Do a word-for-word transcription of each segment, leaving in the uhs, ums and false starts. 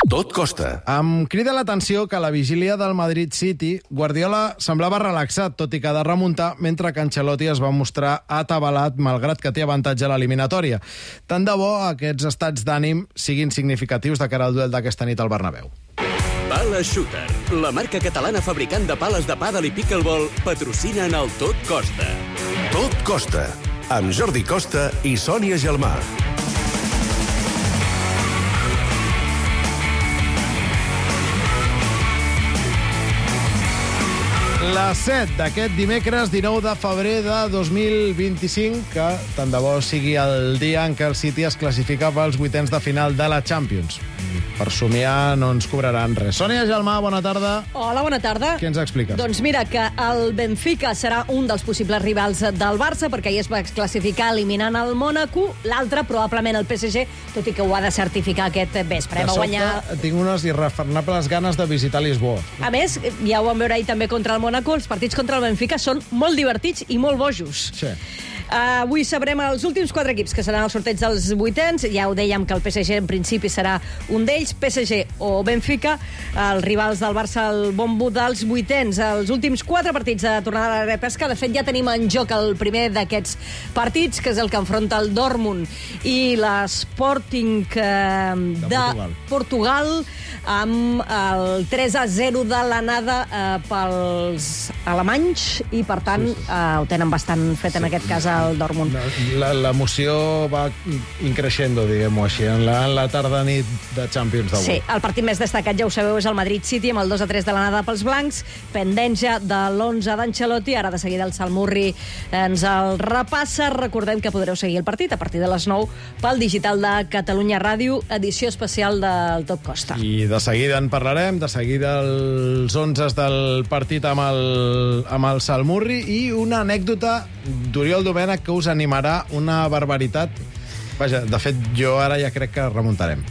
Tot costa. Em crida l'atenció que a la vigília del Madrid City, Guardiola semblava relaxat, tot i que ha de remuntar, mentre que Ancelotti es va mostrar atabalat, malgrat que té avantatge a l'eliminatòria. Tant de bo aquests estats d'ànim siguin significatius de cara al duel d'aquesta nit al Bernabéu. Pala Shooter, la marca catalana fabricant de pales de pàdel i pickleball, patrocina en el Tot Costa. Tot costa. Amb Jordi Costa i Sònia Gelmà. Les set d'aquest dimecres dinou de febrer de dos mil vint-i-cinc, que tant de bo sigui el dia en què el City es classifica pels vuitens de final de la Champions. Per somiar no ens cobraran res. Sònia Gelmà, bona tarda. Hola, bona tarda. Què ens expliques? Doncs mira, que el Benfica serà un dels possibles rivals del Barça, perquè ahir es va classificar eliminant el Mònaco. L'altre, probablement, el P S G, tot i que ho ha de certificar aquest vespre. De Va sobte, guanyar... tinc unes irrefrenables ganes de visitar Lisboa. A més, ja ho vam veure ahir també contra el Mònaco, els partits contra el Benfica són molt divertits i molt bojos. Sí. Uh, avui sabrem els últims quatre equips que seran el sorteig dels vuitens. Ja ho dèiem que el P S G en principi serà un d'ells, P S G o Benfica, els rivals del Barça al bombo dels vuitens. Els últims quatre partits de tornada a la repesca. De fet, ja tenim en joc el primer d'aquests partits, que és el que enfronta el Dortmund i l'Sporting uh, de, de Portugal. Portugal, amb el tres a zero de l'anada uh, pels alemanys, i per tant sí, sí. Uh, ho tenen bastant fet sí, en aquest cas el Dortmund. L'emoció va increixendo, diguem-ho així, en la, en la tarda-nit de Champions d'avui. Sí, el partit més destacat, ja ho sabeu, és el Madrid City, amb el dos a tres de l'anada pels blancs, pendent ja de l'onze d'Ancelotti. Ara de seguida el Salmurri ens el repassa. Recordem que podreu seguir el partit a partir de les nou pel digital de Catalunya Ràdio, edició especial del Tot Costa. I de seguida en parlarem, de seguida els onzes del partit amb el, amb el Salmurri, i una anècdota d'Oriol Domènech que us animarà una barbaritat. Vaja, de fet, jo ara ja crec que remuntarem.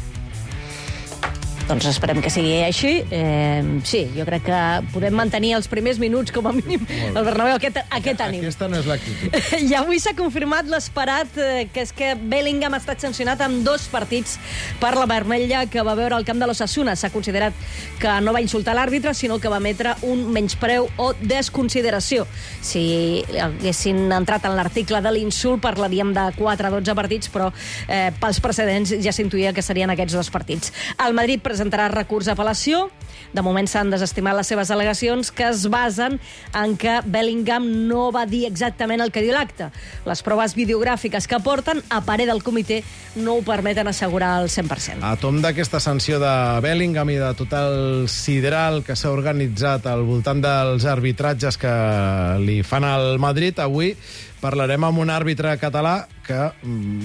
Doncs esperem que sigui així. Eh, sí, jo crec que podem mantenir els primers minuts, com a mínim, el Bernabéu, aquest, aquest ànim. Aquesta no és l'actitud. I avui s'ha confirmat l'esperat, eh, que és que Bellingham ha estat sancionat amb dos partits per la vermella que va veure al camp de l'Osasuna. S'ha considerat que no va insultar l'àrbitre, sinó que va emetre un menyspreu o desconsideració. Si haguessin entrat en l'article de l'insult, parlaríem de quatre a dotze partits, però eh, pels precedents ja s'intuïa que serien aquests dos partits. El Madrid presentarà recurs d'apel·lació. De moment s'han desestimat les seves al·legacions, que es basen en que Bellingham no va dir exactament el que diu l'acte. Les proves videogràfiques que porten, a parer del comitè, no ho permeten assegurar al cent per cent. A tom d'aquesta sanció de Bellingham i de tot el sidral que s'ha organitzat al voltant dels arbitratges que li fan al Madrid, avui parlarem amb un àrbitre català que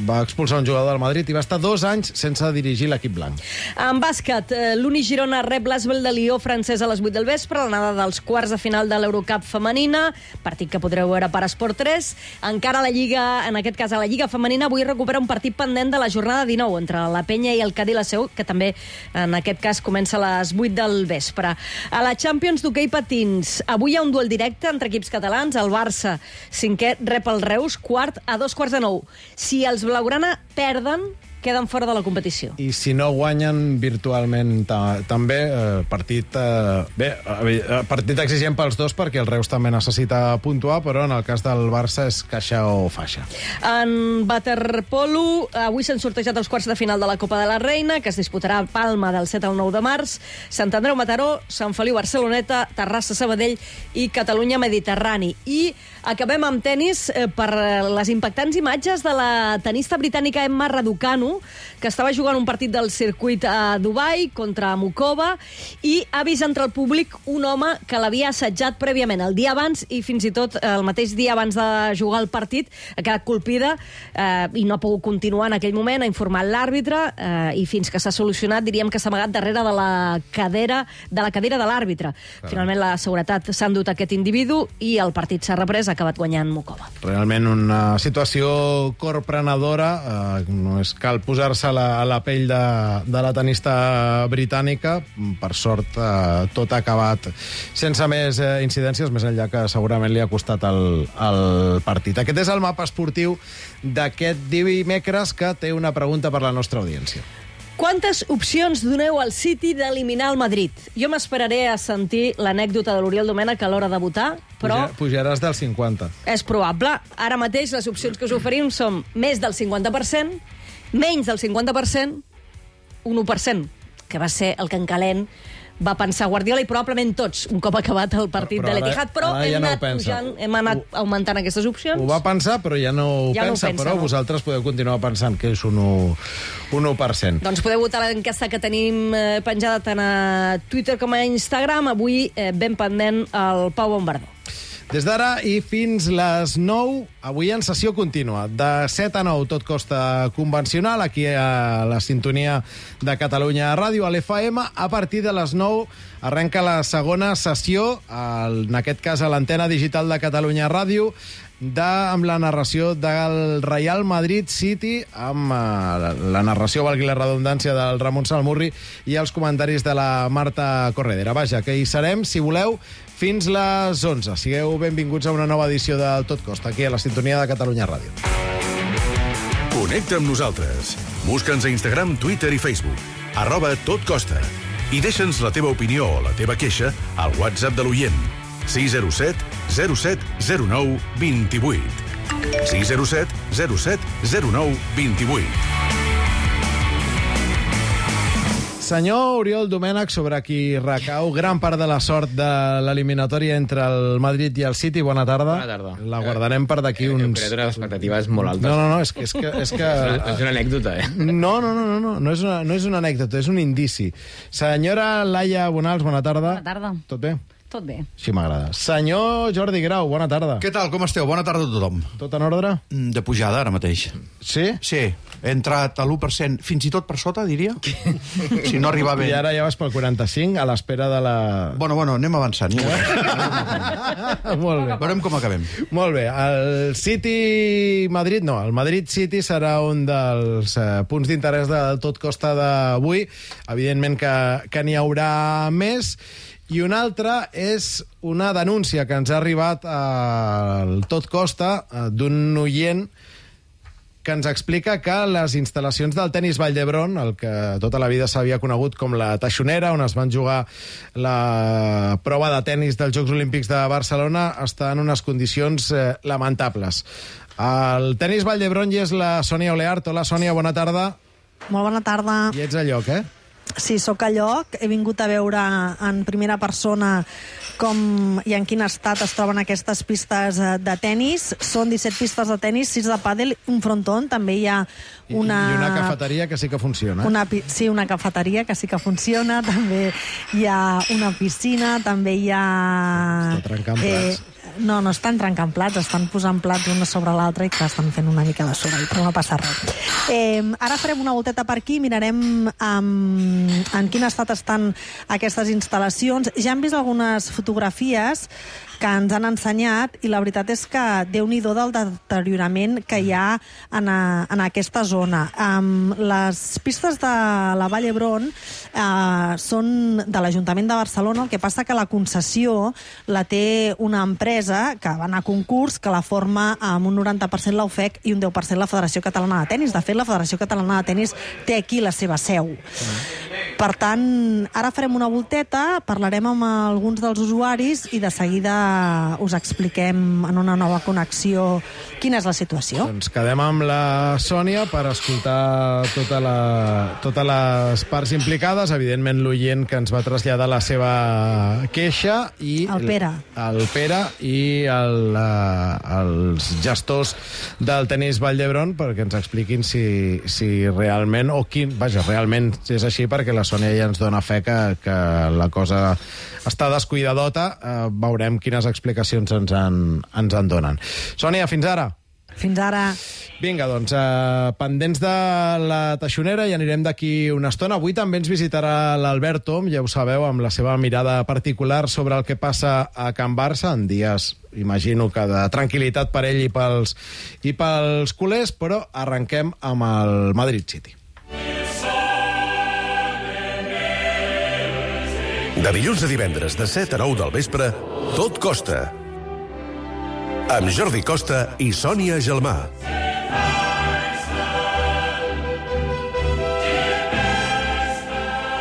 va expulsar un jugador del Madrid i va estar dos anys sense dirigir l'equip blanc. En bàsquet, l'Uni Girona rep l'Asvel de Lió francès a les vuit del vespre, l'anada dels quarts de final de l'Eurocup femenina, partit que podreu veure per Esport tres. Encara a la Lliga, en aquest cas a la Lliga femenina, avui recupera un partit pendent de la jornada dinou entre la Penya i el Cadí la Seu, que també en aquest cas comença a les vuit del vespre. A la Champions d'hoquei patins, avui hi ha un duel directe entre equips catalans. El Barça, cinquè, rep el Reus, quart, a dos quarts de nou. Si els blaugrana perden, queden fora de la competició. I si no guanyen virtualment ta també, eh, partit eh, bé, eh, partit exigent pels dos, perquè el Reus també necessita puntuar, però en el cas del Barça és caixa o faixa. En waterpolo, avui s'han sortejat els quarts de final de la Copa de la Reina, que es disputarà a Palma del set al nou de març, Sant Andreu Mataró, Sant Feliu Barceloneta, Terrassa Sabadell i Catalunya Mediterrani. I acabem amb tenis eh, per les impactants imatges de la tenista britànica Emma Raducanu, que estava jugant un partit del circuit a Dubai contra Mukova, i ha vist entre el públic un home que l'havia assetjat prèviament el dia abans, i fins i tot el mateix dia abans de jugar el partit ha quedat colpida eh, i no ha pogut continuar en aquell moment. Ha informat l'àrbitre eh, i fins que s'ha solucionat, diríem que s'ha amagat darrere de la cadera de la cadira de l'àrbitre. Finalment la seguretat s'ha endut aquest individu i el partit s'ha reprès, ha acabat guanyant Mukova. Realment una situació corprenedora, eh, no és cal posar-se a, la, a la pell de, de la tenista britànica. Per sort, eh, tot ha acabat sense més eh, incidències, més enllà que segurament li ha costat el, el partit. Aquest és el mapa esportiu d'aquest dimecres, que té una pregunta per la nostra audiència. Quantes opcions doneu al City d'eliminar el Madrid? Jo m'esperaré a sentir l'anècdota de l'Oriol Domènech a l'hora de votar, però... Puja, pujaràs del cinquanta. És probable. Ara mateix les opcions que us oferim són més del cinquanta per cent, menys del cinquanta per cent, un u per cent, que va ser el que en calent va pensar Guardiola i probablement tots, un cop acabat el partit Però- però de ara- l'Etihad, però ara ja hem no ho anat pensa. pujant, hem anat augmentant aquestes opcions. Ho va pensar, però ja no ho Ja no ho pensa, pensa, però no. vosaltres podeu continuar pensant que és un u, un u per cent. Doncs podeu votar l'enquesta que tenim eh, penjada tant a Twitter com a Instagram. Avui eh, ben pendent el Pau Bombardó. Des d'ara i fins les nou, avui en sessió contínua. De set a nou, tot costa convencional, aquí a la sintonia de Catalunya Ràdio, a l'F M. A partir de les nou arrenca la segona sessió, en aquest cas a l'antena digital de Catalunya Ràdio, de, amb la narració del Real Madrid City, amb uh, la narració, valgui la redundància, del Ramon Salmurri i els comentaris de la Marta Corredera. Vaja, que hi serem, si voleu, fins les onze. Sigueu benvinguts a una nova edició del Tot Costa, aquí a la sintonia de Catalunya Ràdio. Connecta amb nosaltres. Busca'ns a Instagram, Twitter i Facebook. Arroba Tot Costa. I deixa'ns la teva opinió o la teva queixa al WhatsApp de l'oient. sis zero set zero set zero nou dos vuit. sis zero set zero set zero nou dos vuit. Senyor Oriol Domènech, sobre qui recau gran part de la sort de l'eliminatòria entre el Madrid i el City. Bona tarda. Bona tarda. La guardarem per d'aquí He uns... creat unes expectatives molt altes. No, no, no, és que... És, que, és, que... És una, és una anècdota, eh? No, no, no, no, no, no és una, no és una anècdota, és un indici. Senyora Laia Bonals, bona tarda. Bona tarda. Tot bé? Tot bé. Així m'agrada. Senyor Jordi Grau, bona tarda. Què tal, com esteu? Bona tarda a tothom. Tot en ordre? Mm, De pujada, ara mateix. Sí? Sí, he entrat a l'u per cent, fins i tot per sota, diria. Si no arribava bé. I ara ja vas pel quaranta-cinc, a l'espera de la... Bueno, bueno, anem avançant. Anem avançant. Molt bé. Veurem com acabem. Molt bé. El City-Madrid, no, el Madrid-City serà un dels eh, punts d'interès del Tot Costa d'avui. Evidentment que, que n'hi haurà més. I una altra és una denúncia que ens ha arribat al Tot Costa eh, d'un oient que ens explica que les instal·lacions del tenis Vall d'Hebron, el que tota la vida s'havia conegut com la Taixonera, on es van jugar la prova de tenis dels Jocs Olímpics de Barcelona, està en unes condicions eh, lamentables. Al tenis Vall d'Hebron hi és la Sònia Oleart. Hola, Sònia, bona tarda. Molt bona tarda. I ets a lloc, eh? Sí, sóc a lloc. He vingut a veure en primera persona com i en quin estat es troben aquestes pistes eh, de tennis. Són disset pistes de tennis, sis de pàdel, un frontón. També hi ha una... I una cafeteria que sí que funciona. Una, pi- sí, una cafeteria que sí que funciona. També hi ha una piscina, també hi ha... Està trencant plats. no, no estan trencant plats, estan posant plats una sobre l'altra i que estan fent una mica de soroll, però no passa res. Eh, ara farem una volteta per aquí, mirarem um, en quin estat estan aquestes instal·lacions. Ja hem vist algunes fotografies que ens han ensenyat i la veritat és que déu-n'hi-do del deteriorament que hi ha en, a, en aquesta zona. Um, les pistes de la Vall d'Hebron uh, són de l'Ajuntament de Barcelona, el que passa que la concessió la té una empresa que va anar a concurs, que la forma amb un noranta per cent la U F E C i un deu per cent la Federació Catalana de Tenis. De fet, la Federació Catalana de Tenis té aquí la seva seu. Per tant, ara farem una volteta, parlarem amb alguns dels usuaris i de seguida us expliquem en una nova connexió quina és la situació. Doncs quedem amb la Sònia per escoltar tota la, totes les parts implicades. Evidentment, l'oient que ens va traslladar la seva queixa i... El Pere. El Pere i el, uh, els gestors del tenis Vall d'Hebron perquè ens expliquin si, si realment, o quin, vaja, realment és així, perquè la Sònia ja ens dona fe que, que la cosa està descuidadota. Uh, veurem quines explicacions ens en, ens en donen. Sònia, fins ara. Fins ara. Vinga, doncs, eh, pendents de la Taixonera i anirem d'aquí una estona. Avui també ens visitarà l'Albert Tom, ja ho sabeu, amb la seva mirada particular sobre el que passa a Can Barça, en dies, imagino que de tranquil·litat per ell i pels, i pels culers, però arrenquem amb el Madrid City. De dilluns a divendres, de set a nou del vespre, Tot Costa. Amb Jordi Costa i Sònia Gelmà.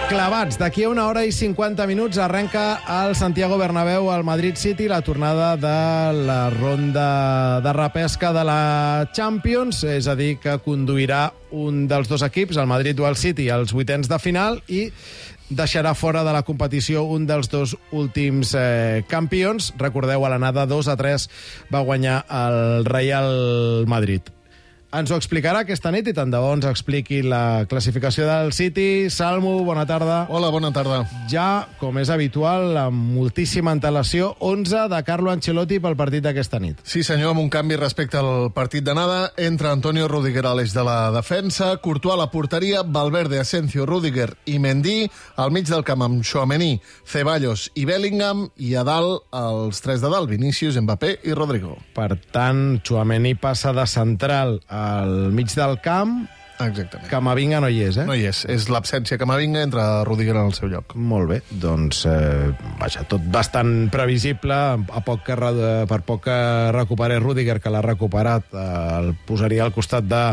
Clavats, d'aquí a una hora i cinquanta minuts arrenca al Santiago Bernabéu al Madrid City la tornada de la ronda de repesca de la Champions, és a dir, que conduirà un dels dos equips, el Madrid o el City, als vuitens de final i deixarà fora de la competició un dels dos últims eh, campions. Recordeu, a l'anada dos a tres va guanyar el Real Madrid. Ens ho explicarà aquesta nit i tant de bo ens expliqui la classificació del City. Salmo, bona tarda. Hola, bona tarda. Ja, com és habitual, amb moltíssima antelació, onze de Carlo Ancelotti pel partit d'aquesta nit. Sí, senyor, amb un canvi respecte al partit d'anada. Entra Antonio Rüdiger a l'eix de la defensa, Courtois a la porteria, Valverde, Asensio, Rüdiger i Mendy, al mig del camp amb Tchouaméni, Ceballos i Bellingham, i a dalt els tres de dalt, Vinícius, Mbappé i Rodrigo. Per tant, Tchouaméni passa de central al mig del camp. Exactament. Camavinga no hi és, eh? No hi és. És l'absència Camavinga, entra Rüdiger en el seu lloc. Molt bé, doncs, eh, vaja, tot bastant previsible. A poc que, per poc que recuperés Rüdiger, que l'ha recuperat, eh, el posaria al costat de,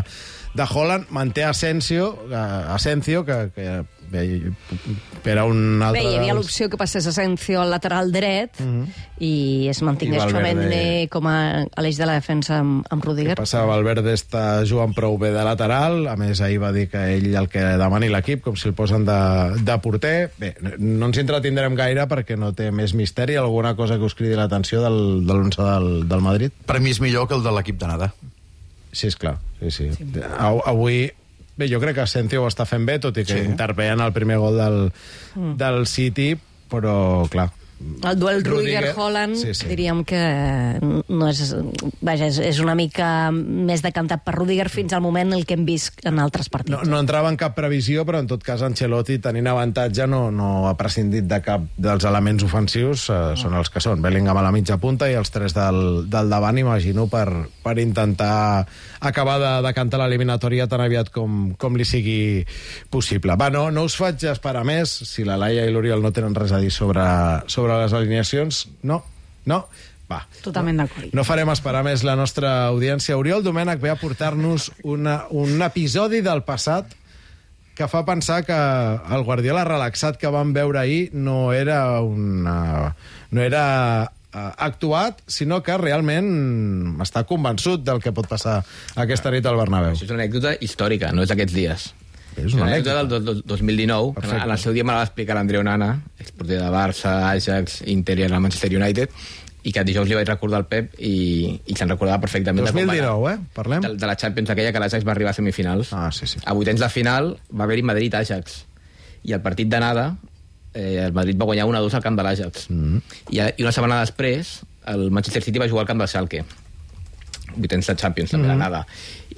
de Haaland. Manté Asensio, eh, Asensio, que, que bé, per a un altre... Bé, hi havia dels... l'opció que passés Asensio al lateral dret uh -huh. i es mantingués I Valverde... Tchouaméni com a, a l'eix de la defensa amb, amb Rüdiger. Què passa? Valverde està jugant prou bé de lateral. A més, ahir va dir que ell el que demani l'equip, com si el posen de, de porter. Bé, no ens entretindrem gaire perquè no té més misteri. Alguna cosa que us cridi l'atenció del, de l'onze del, del Madrid? Per mi és millor que el de l'equip d'anada. Sí, és clar. Sí, sí. sí. Avui... Bé, jo crec que Asensio ho està fent bé, tot i que sí. intervé en el primer gol del, mm. del City, però, clar... El duel Rüdiger-Haaland, sí, sí. diríem que no és, vaja, és, és una mica més decantat per Rüdiger fins al moment el que hem vist en altres partits. No, no entrava en cap previsió, però en tot cas Ancelotti, tenint avantatge, no, no ha prescindit de cap dels elements ofensius, eh, són els que són. Bellingham a la mitja punta i els tres del, del davant, imagino, per, per intentar acabar de, de cantar l'eliminatòria tan aviat com, com li sigui possible. Va, no, no us faig esperar més. Si la Laia i l'Oriol no tenen res a dir sobre, sobre les alineacions, no, no. Va. Totalment d'acord. No farem esperar més la nostra audiència. Oriol Domènech ve a portar-nos una, un episodi del passat que fa pensar que el Guardiola relaxat que vam veure ahir no era una, no era uh, actuat, sinó que realment està convençut del que pot passar aquesta nit al Bernabéu. Això és una anècdota històrica, no és d'aquests dies. És una anècdota del do, do, dos mil dinou, que en el seu dia me la va explicar l'Andreu Nana, exporter de Barça, Ajax, Inter i el Manchester United, i que dijous li vaig recordar al Pep i, i se'n recordava perfectament. dos mil dinou, eh? Parlem? De, de la Champions aquella que l'Ajax va arribar a semifinals. Ah, sí, sí. A vuitens de final va haver-hi Madrid-Ajax. I el partit d'anada, eh, el Madrid va guanyar un a dos al camp de l'Ajax. Mm. I, I una setmana després, el Manchester City va jugar al camp del Schalke. Vuitens de Champions, també, mm. d'anada.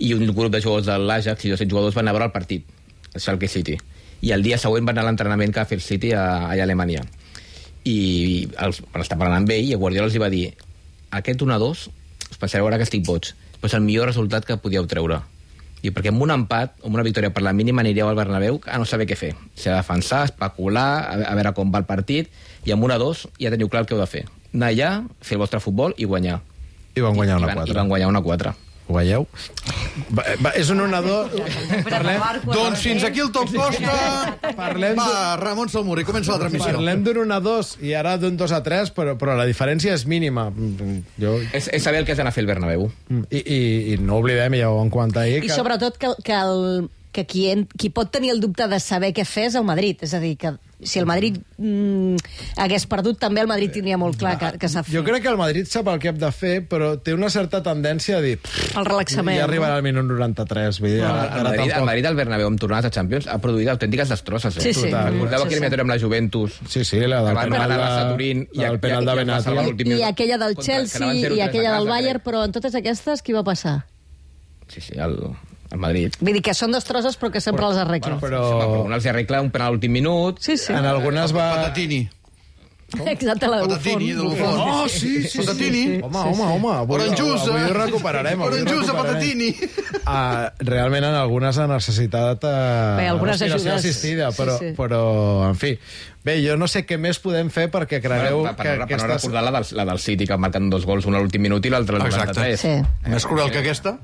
I un grup de jugadors de l'Ajax i dos jugadors van anar a veure el partit, el Schalke City. I el dia següent van anar a l'entrenament que va fer el City a, allà a Alemanya. I els, van estar parlant amb ell i el Guardiola els va dir: aquest un a dos us pensareu ara que estic boig, però és el millor resultat que podíeu treure. I perquè amb un empat o amb una victòria per la mínima anireu al Bernabéu a no saber què fer. S'ha de defensar, especular, a, a veure com va el partit, i amb un a dos ja teniu clar el que heu de fer. Anar allà, fer el vostre futbol i guanyar. I van guanyar I, una i van, quatre. I van guanyar una quatre. Ho veieu? Va, va, és un un a dos. Parlem... Doncs fins aquí el Top Costa. Parlem Va, Ramon Salmuri, comença la transmissió. Parlem d'un un a dos i ara d'un dos a tres, però, però la diferència és mínima. Jo... És, és saber el que has d'anar a fer el Bernabéu. I, i, i no oblidem, ja ho en quant ahir... I que... sobretot que, que, el, que qui, en, qui pot tenir el dubte de saber què fer és el Madrid. És a dir, que si el Madrid mm, hagués perdut, també el Madrid tindria molt clar que, que s'ha fet. Jo crec que el Madrid sap el que hem de fer, però té una certa tendència a dir... El relaxament. Ja arribarà al minut noranta-tres. Vull dir, No, ara, el, Madrid, tampoc... el Madrid al Bernabéu amb tornades a Champions ha produït autèntiques destrosses. Eh? Sí, sí. Recordeu Sí, aquella sí. eliminatòria amb la Juventus? Sí, sí, la del Van penal, anar a de, Turín i, del penal de Benatia. I, I aquella del Contra- que Chelsea anaven zero i tres aquella a del casa, Bayern, crec. però en totes aquestes, què va passar? Sí, sí, el, el Madrid. Vull dir que són destrosses, però que sempre les arreglen. Però... Però una els arregla un penal a l'últim minut. Sí, sí. En algunes va... Patatini. Exacte, la de Buffon. Patatini, de Buffon. Oh, sí, sí, Patatini. sí. Home, home, home. Avui, Oranjusa. avui ho recuperarem. Avui ho Oranjusa, recuperarem. Patatini. Uh, realment en algunes ha necessitat uh, Bé, algunes respiració ajudes. assistida, però, Sí, sí. però, en fi... Bé, jo no sé què més podem fer perquè cregueu per, per, que per, per no aquestes... recordar la del, la del City, que marquen dos gols, un a l'últim minut i l'altre al Exacte. noranta-tres. Sí. Més cruel que aquesta?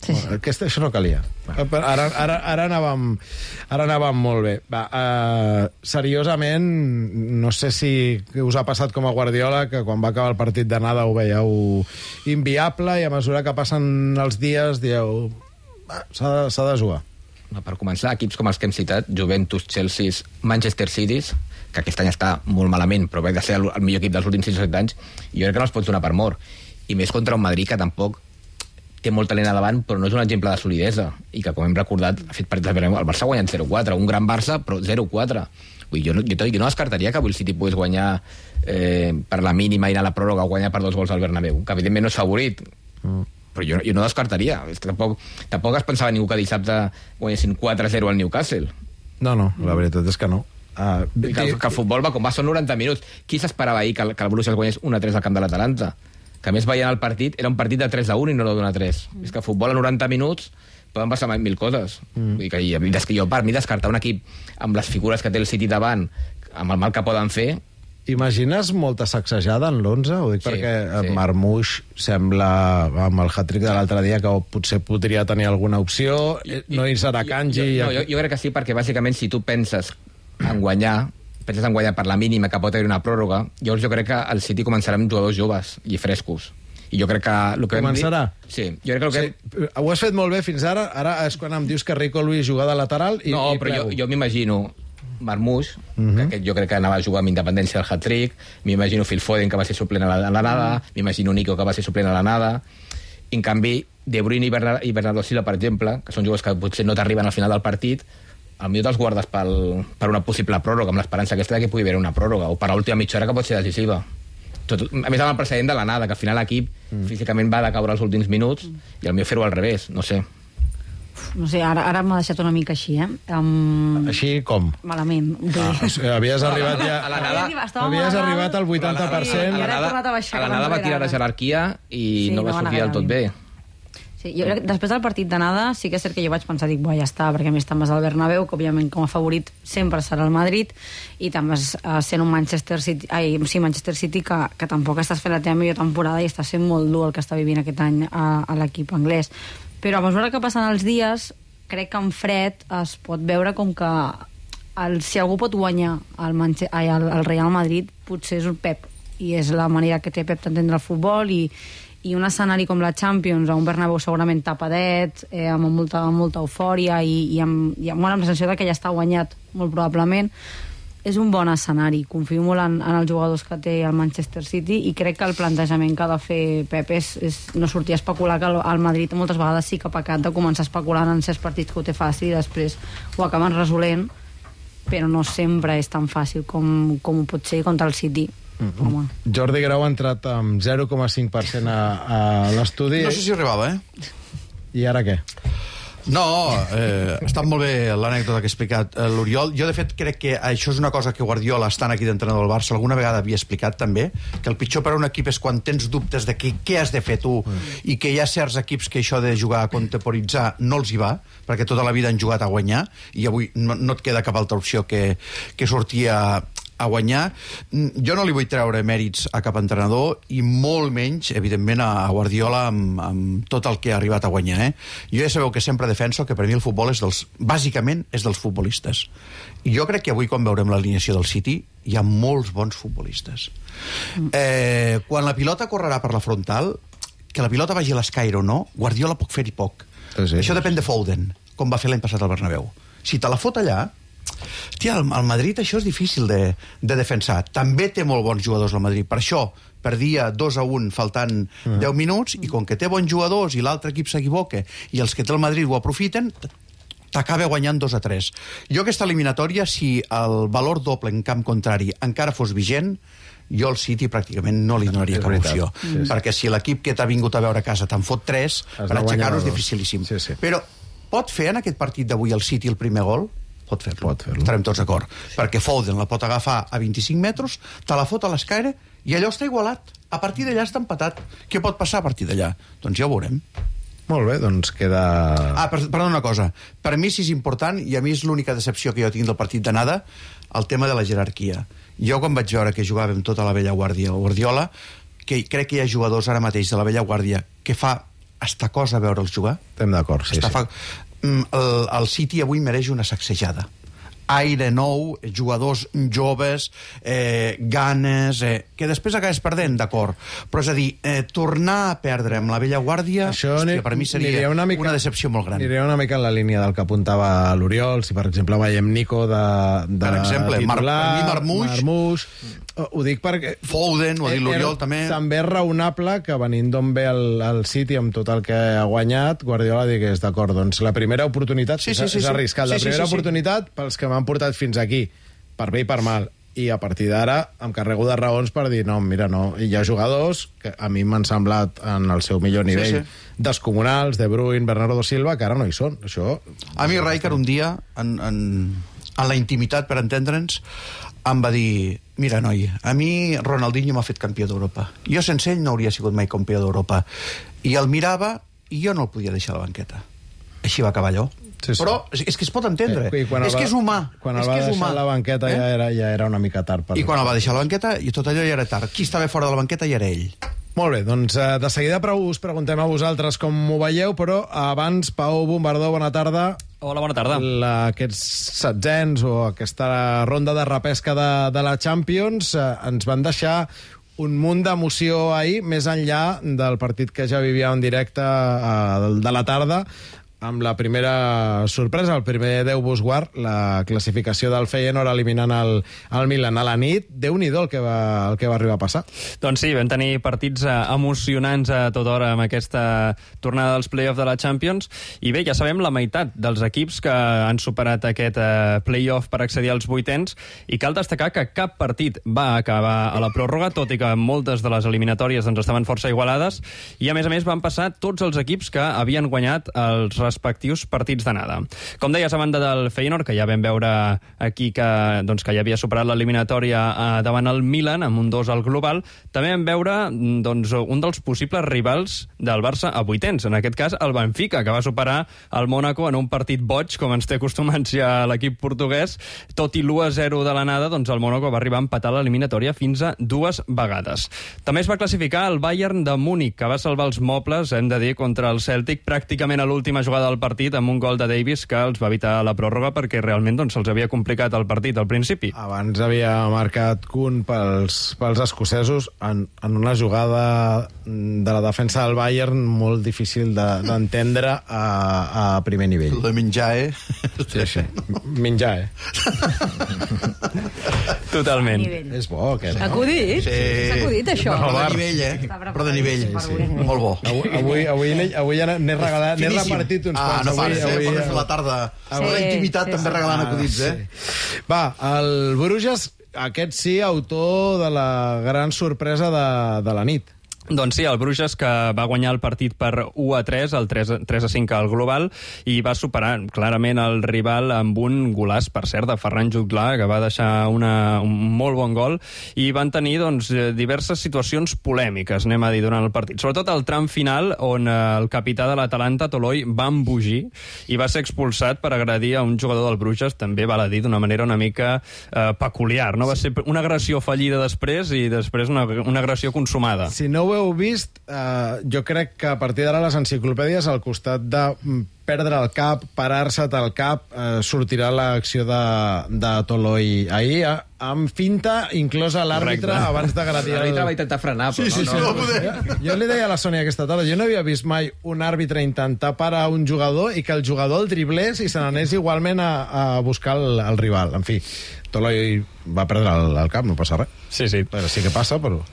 Sí, sí. Aquesta, això no calia. Ara, ara, ara, anàvem, ara anàvem molt bé. Va, uh, seriosament, no sé si us ha passat com a Guardiola, que quan va acabar el partit d'anada ho veieu inviable i a mesura que passen els dies dieu s'ha de, s'ha de jugar. Per començar, equips com els que hem citat, Juventus, Chelsea, Manchester City, que aquest any està molt malament, però va de ser el, el millor equip dels últims sis o set anys, i jo crec que no els pots donar per mort. I més contra un Madrid que tampoc té molt talent a davant, però no és un exemple de solidesa, i que, com hem recordat, ha fet partits de... El Barça ha guanyat zero quatre, un gran Barça, però zero quatre. Vull, jo, no, jo, jo no descartaria que avui el City pogués guanyar eh, per la mínima i anar a la pròrroga o guanyar per dos gols al Bernabéu, que evidentment no és favorit, mm. però jo, jo no descartaria. És que tampoc, tampoc es pensava ningú que dissabte guanyessin quatre a zero al Newcastle. No, no, la veritat és que no. Uh, que, que el futbol va com va, són noranta minuts. Qui s'esperava ahir que el, que el Borussia es guanyés un a tres al camp de l'Atalanta? Que a més veient el partit, era un partit de tres a un i no d'un a tres. Mm. És que el futbol a noranta minuts poden passar mil coses. Mm. Vull dir que, des que jo, per mi, descartar un equip amb les figures que té el City davant, amb el mal que poden fer... Imagines molta sacsejada en l'onze? Ho dic sí, perquè sí. Marmoush sembla, amb el hat-trick de l'altre dia, que potser podria tenir alguna opció, I, no hi serà Kanji... Jo, jo, jo, jo crec que sí, perquè bàsicament si tu penses en guanyar, penses en guanyar per la mínima que pot haver una pròrroga, llavors jo crec que el City començarà amb jugadors joves i frescos. I jo crec que... El que Començarà? Dir, sí, jo crec que... El que... Sí, ho has fet molt bé fins ara, ara és quan em dius que Rico Lluís juga de lateral i... No, i però jo, jo m'imagino Marmoush, uh -huh. que jo crec que anava a jugar amb independència al hat-trick, m'imagino Phil Foden, que va ser suplent a la, a la nada, uh -huh. m'imagino Nico, que va ser suplent a la nada, i en canvi De Bruyne i, Bernard, i Bernardo Silva, per exemple, que són jugadors que potser no t'arriben al final del partit, al millor te'ls guardes pel, per una possible pròrroga, amb l'esperança aquesta que pugui haver una pròrroga, o per l'última mitja hora que pot ser decisiva. Tot, a més, amb el precedent de l'anada, que al final l'equip mm. físicament va de caure els últims minuts, mm. i el millor fer-ho al revés, no sé. No sé, ara, ara m'ha deixat una mica així, eh? Um... Així com? Malament. Ah, o sigui, havies arribat ja... A l'anada... Havies arribat al vuitanta per cent. A l'anada va tirar la jerarquia i sí, no va sortir del tot bé. Sí, jo crec que després del partit d'anada sí que és cert que jo vaig pensar, dic, bo, ja està, perquè a més també és el Bernabéu, que òbviament com a favorit sempre serà el Madrid, i també és, uh, sent un Manchester City, ai, sí, Manchester City que, que tampoc estàs fent la teva millor temporada i està sent molt dur el que està vivint aquest any a, a l'equip anglès. Però a mesura que passen els dies, crec que en fred es pot veure com que el, si algú pot guanyar el, Manche, ai, el, el Real Madrid, potser és el Pep, i és la manera que té Pep d'entendre el futbol, i i un escenari com la Champions, a un Bernabéu segurament tapadet, eh, amb molta, molta eufòria i, i, amb, i amb, bueno, amb la sensació que ja està guanyat, molt probablement, és un bon escenari. Confio molt en, en els jugadors que té el Manchester City i crec que el plantejament que ha de fer Pep és, és no sortir a especular, que el, el Madrid moltes vegades sí que ha pecat de començar especulant en certs partits que ho té fàcil i després ho acaben resolent, però no sempre és tan fàcil com, com ho pot ser contra el City. Mm-hmm. Jordi Grau ha entrat amb zero coma cinc per cent a, a l'estudi. No sé si arribava, eh? I ara què? No, eh, ha estat molt bé l'anècdota que ha explicat eh, l'Oriol. Jo, de fet, crec que això és una cosa que Guardiola, estant aquí d'entrenador del Barça, alguna vegada havia explicat també, que el pitjor per a un equip és quan tens dubtes de que, què has de fer tu, mm. i que hi ha certs equips que això de jugar a contemporitzar no els hi va, perquè tota la vida han jugat a guanyar, i avui no, no et queda cap altra opció que, que sortir a a guanyar. Jo no li vull treure mèrits a cap entrenador i molt menys, evidentment, a Guardiola amb, amb tot el que ha arribat a guanyar. Eh? Jo ja sabeu que sempre defenso que per mi el futbol és dels, bàsicament és dels futbolistes. I jo crec que avui, quan veurem l'alineació del City, hi ha molts bons futbolistes. Eh, quan la pilota correrà per la frontal, que la pilota vagi a l'escaire o no, Guardiola pot fer-hi poc. Sí, això depèn de Foden, com va fer l'any passat al Bernabéu. Si te la fot allà, tia, al Madrid això és difícil de, de defensar. També té molt bons jugadors el Madrid. Per això perdia dos a un faltant mm. deu minuts, i com que té bons jugadors i l'altre equip s'equivoca i els que té el Madrid ho aprofiten, t'acaba guanyant dos a tres. Jo aquesta eliminatòria, si el valor doble en camp contrari encara fos vigent, jo al City pràcticament no li donaria cap opció. Sí, sí. Perquè si l'equip que t'ha vingut a veure a casa te'n fot tres, per aixecar-ho és dificilíssim. Sí, sí. Però pot fer en aquest partit d'avui el City el primer gol? Pot fer-lo, Pot fer estarem tots d'acord. Perquè Foden la pot agafar a vint-i-cinc metres, te la fot a l'escaire i allò està igualat. A partir d'allà està empatat. Què pot passar a partir d'allà? Doncs ja ho veurem. Molt bé, doncs queda... Ah, perdó, una cosa. Per mi sí és important, i a mi és l'única decepció que jo tinc del partit d'anada, el tema de la jerarquia. Jo, quan vaig veure que jugàvem tota la vella guàrdia o Guardiola, que crec que hi ha jugadors ara mateix de la vella guàrdia que fa està cosa veure'ls jugar. Estem d'acord, sí, Està sí. Fa... El, el City avui mereix una sacsejada. Aire nou, jugadors joves, eh, ganes, eh, que després acabes perdent, d'acord. Però és a dir, eh, tornar a perdre amb la vella guàrdia, Això hòstia, per mi seria una, mica, una decepció molt gran. Aniria una mica en la línia del que apuntava l'Oriol. Si, per exemple, veiem Nico de, de Per exemple, Mar titular, Marmuix, Marmuix, ho dic perquè... Foden, ho ha dit l'Oriol, també. També és raonable que venint d'on ve el, el City amb tot el que ha guanyat, Guardiola digués, d'acord, doncs la primera oportunitat, sí, sí, sí, és, és arriscat, sí, la sí, primera sí, sí. oportunitat pels que m'han portat fins aquí, per bé i per mal, i a partir d'ara em carrego de raons per dir, no, mira, no, hi ha jugadors que a mi m'han semblat en el seu millor nivell sí, sí. descomunals, De Bruyne, Bernardo Silva, que ara no hi són. Això... A mi Rijkaard un dia, en, en, en la intimitat, per entendre'ns, em va dir, mira, noi, a mi Ronaldinho m'ha fet campió d'Europa. Jo sense ell no hauria sigut mai campió d'Europa. I el mirava i jo no el podia deixar a la banqueta. Així va acabar allò. Sí, sí. Però és que es pot entendre. Eh, és que és humà. Quan és el va que és deixar humà. a la banqueta eh? ja, era, ja era una mica tard. Per... I quan el va deixar a la banqueta, i tot allò ja era tard. Qui estava fora de la banqueta ja era ell. Molt bé, doncs eh, de seguida us preguntem a vosaltres com ho veieu, però abans, Pau Bombardó, bona tarda. Hola, bona tarda. La, aquests setzents o aquesta ronda de repesca de, de la Champions eh, ens van deixar un munt d'emoció ahir, més enllà del partit que ja vivíem en directe eh, de la tarda, amb la primera sorpresa, el primer Déu vos guard, la classificació del Feyenoord eliminant el, el Milan a la nit. Déu-n'hi-do el, que va, el que va arribar a passar. Doncs sí, vam tenir partits eh, emocionants a tota hora amb aquesta tornada dels play-off de la Champions, i bé, ja sabem la meitat dels equips que han superat aquest eh, play-off per accedir als vuitens, i cal destacar que cap partit va acabar a la pròrroga, tot i que moltes de les eliminatòries doncs, estaven força igualades, i a més a més van passar tots els equips que havien guanyat els respectius partits d'anada. Com deies, a banda del Feyenoord, que ja vam veure aquí que, doncs, que ja havia superat l'eliminatòria eh, davant el Milan, amb un dos al global, també vam veure doncs, un dels possibles rivals del Barça a vuitens, en aquest cas el Benfica, que va superar el Mónaco en un partit boig, com ens té acostumats ja l'equip portuguès. Tot i l'u a zero de l'anada, doncs el Mónaco va arribar a empatar l'eliminatòria fins a dues vegades. També es va classificar el Bayern de Múnich, que va salvar els mobles, hem de dir, contra el Celtic pràcticament a l'última jugada del partit amb un gol de Davis que els va evitar la pròrroga perquè realment doncs, se'ls havia complicat el partit al principi. Abans havia marcat Kun pels, pels escocesos en, en una jugada de la defensa del Bayern molt difícil d'entendre de, a, a primer nivell. El de menjar, eh? Sí, sí. Menjar, eh? Totalment. És bo, aquest. S'ha acudit? Sí. S'ha acudit, això? Però de nivell, eh? Però de nivell. Sí. Molt bo. Avui, avui, avui, avui n'he regalat, n'he repartit uns ah, quants. No pares, avui, eh? avui, Pots fer la tarda. Sí, A la intimitat sí, també sí. regalant acudits, eh? Sí. Va, el Bruges, aquest sí, autor de la gran sorpresa de, de la nit. Doncs sí, el Bruges, que va guanyar el partit per u a tres, el tres a cinc al global, i va superar clarament el rival amb un golaç, per cert, de Ferran Jutglar, que va deixar una, un molt bon gol, i van tenir doncs, diverses situacions polèmiques, anem a dir, durant el partit. Sobretot el tram final, on el capità de l'Atalanta, Toloi, va embogir i va ser expulsat per agredir a un jugador del Bruges, també val a dir, d'una manera una mica eh, peculiar. No? Va ser una agressió fallida després i després una, una agressió consumada. Si no ho heu vist, eh, jo crec que a partir d'ara les enciclopèdies, al costat de perdre el cap, parar-se't el cap, eh, sortirà l'acció de, de Toloi ahir, eh, amb finta inclosa l'àrbitre abans d'agredir el... L'àrbitre va intentar frenar, però sí, sí, sí, no, no, no. Jo, jo li deia a la Sònia aquesta tarda, jo no havia vist mai un àrbitre intentar parar un jugador i que el jugador el driblés i se n'anés igualment a, a buscar el, el rival. En fi, Toloi va perdre el, el cap, no passa res. Sí, sí. Però sí que passa, però...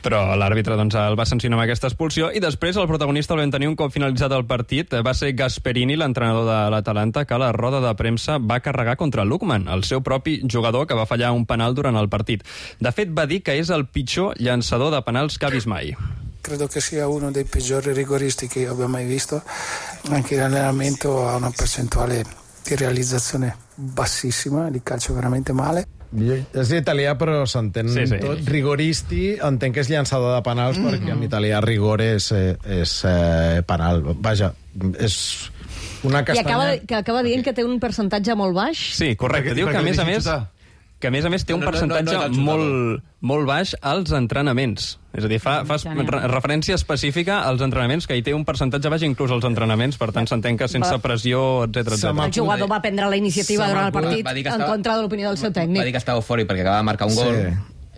Però l'àrbitre doncs, el va sancionar amb aquesta expulsió i després el protagonista el vam tenir un cop finalitzat el partit. Va ser Gasperini, l'entrenador de l'Atalanta, que a la roda de premsa va carregar contra Lukman, el seu propi jugador, que va fallar un penal durant el partit. De fet, va dir que és el pitjor llançador de penals que ha vist mai. Credo che sia uno dei peggiori rigoristi che io abbia mai visto. Anche in allenamento ha una percentuale di realizzazione bassissima, di calcio veramente male. És italià, però s'entén sí, sí. tot. Rigoristi, entenc que és llançador de penals, mm. perquè en italià rigor és, és eh, penal. Vaja, és una castanya... I acaba, que acaba dient que té un percentatge molt baix. Sí, correcte. Diu que, a més a més... que a més a més té un No, no, no, percentatge no és el molt, molt baix als entrenaments. És a dir, fa, fa re referència específica als entrenaments, que hi té un percentatge baix inclús als entrenaments, per tant s'entén que sense pressió, etcètera, etcètera. El jugador va prendre la iniciativa durant el partit en contra de l'opinió del seu tècnic. Va dir que estava eufòric perquè acaba de marcar un gol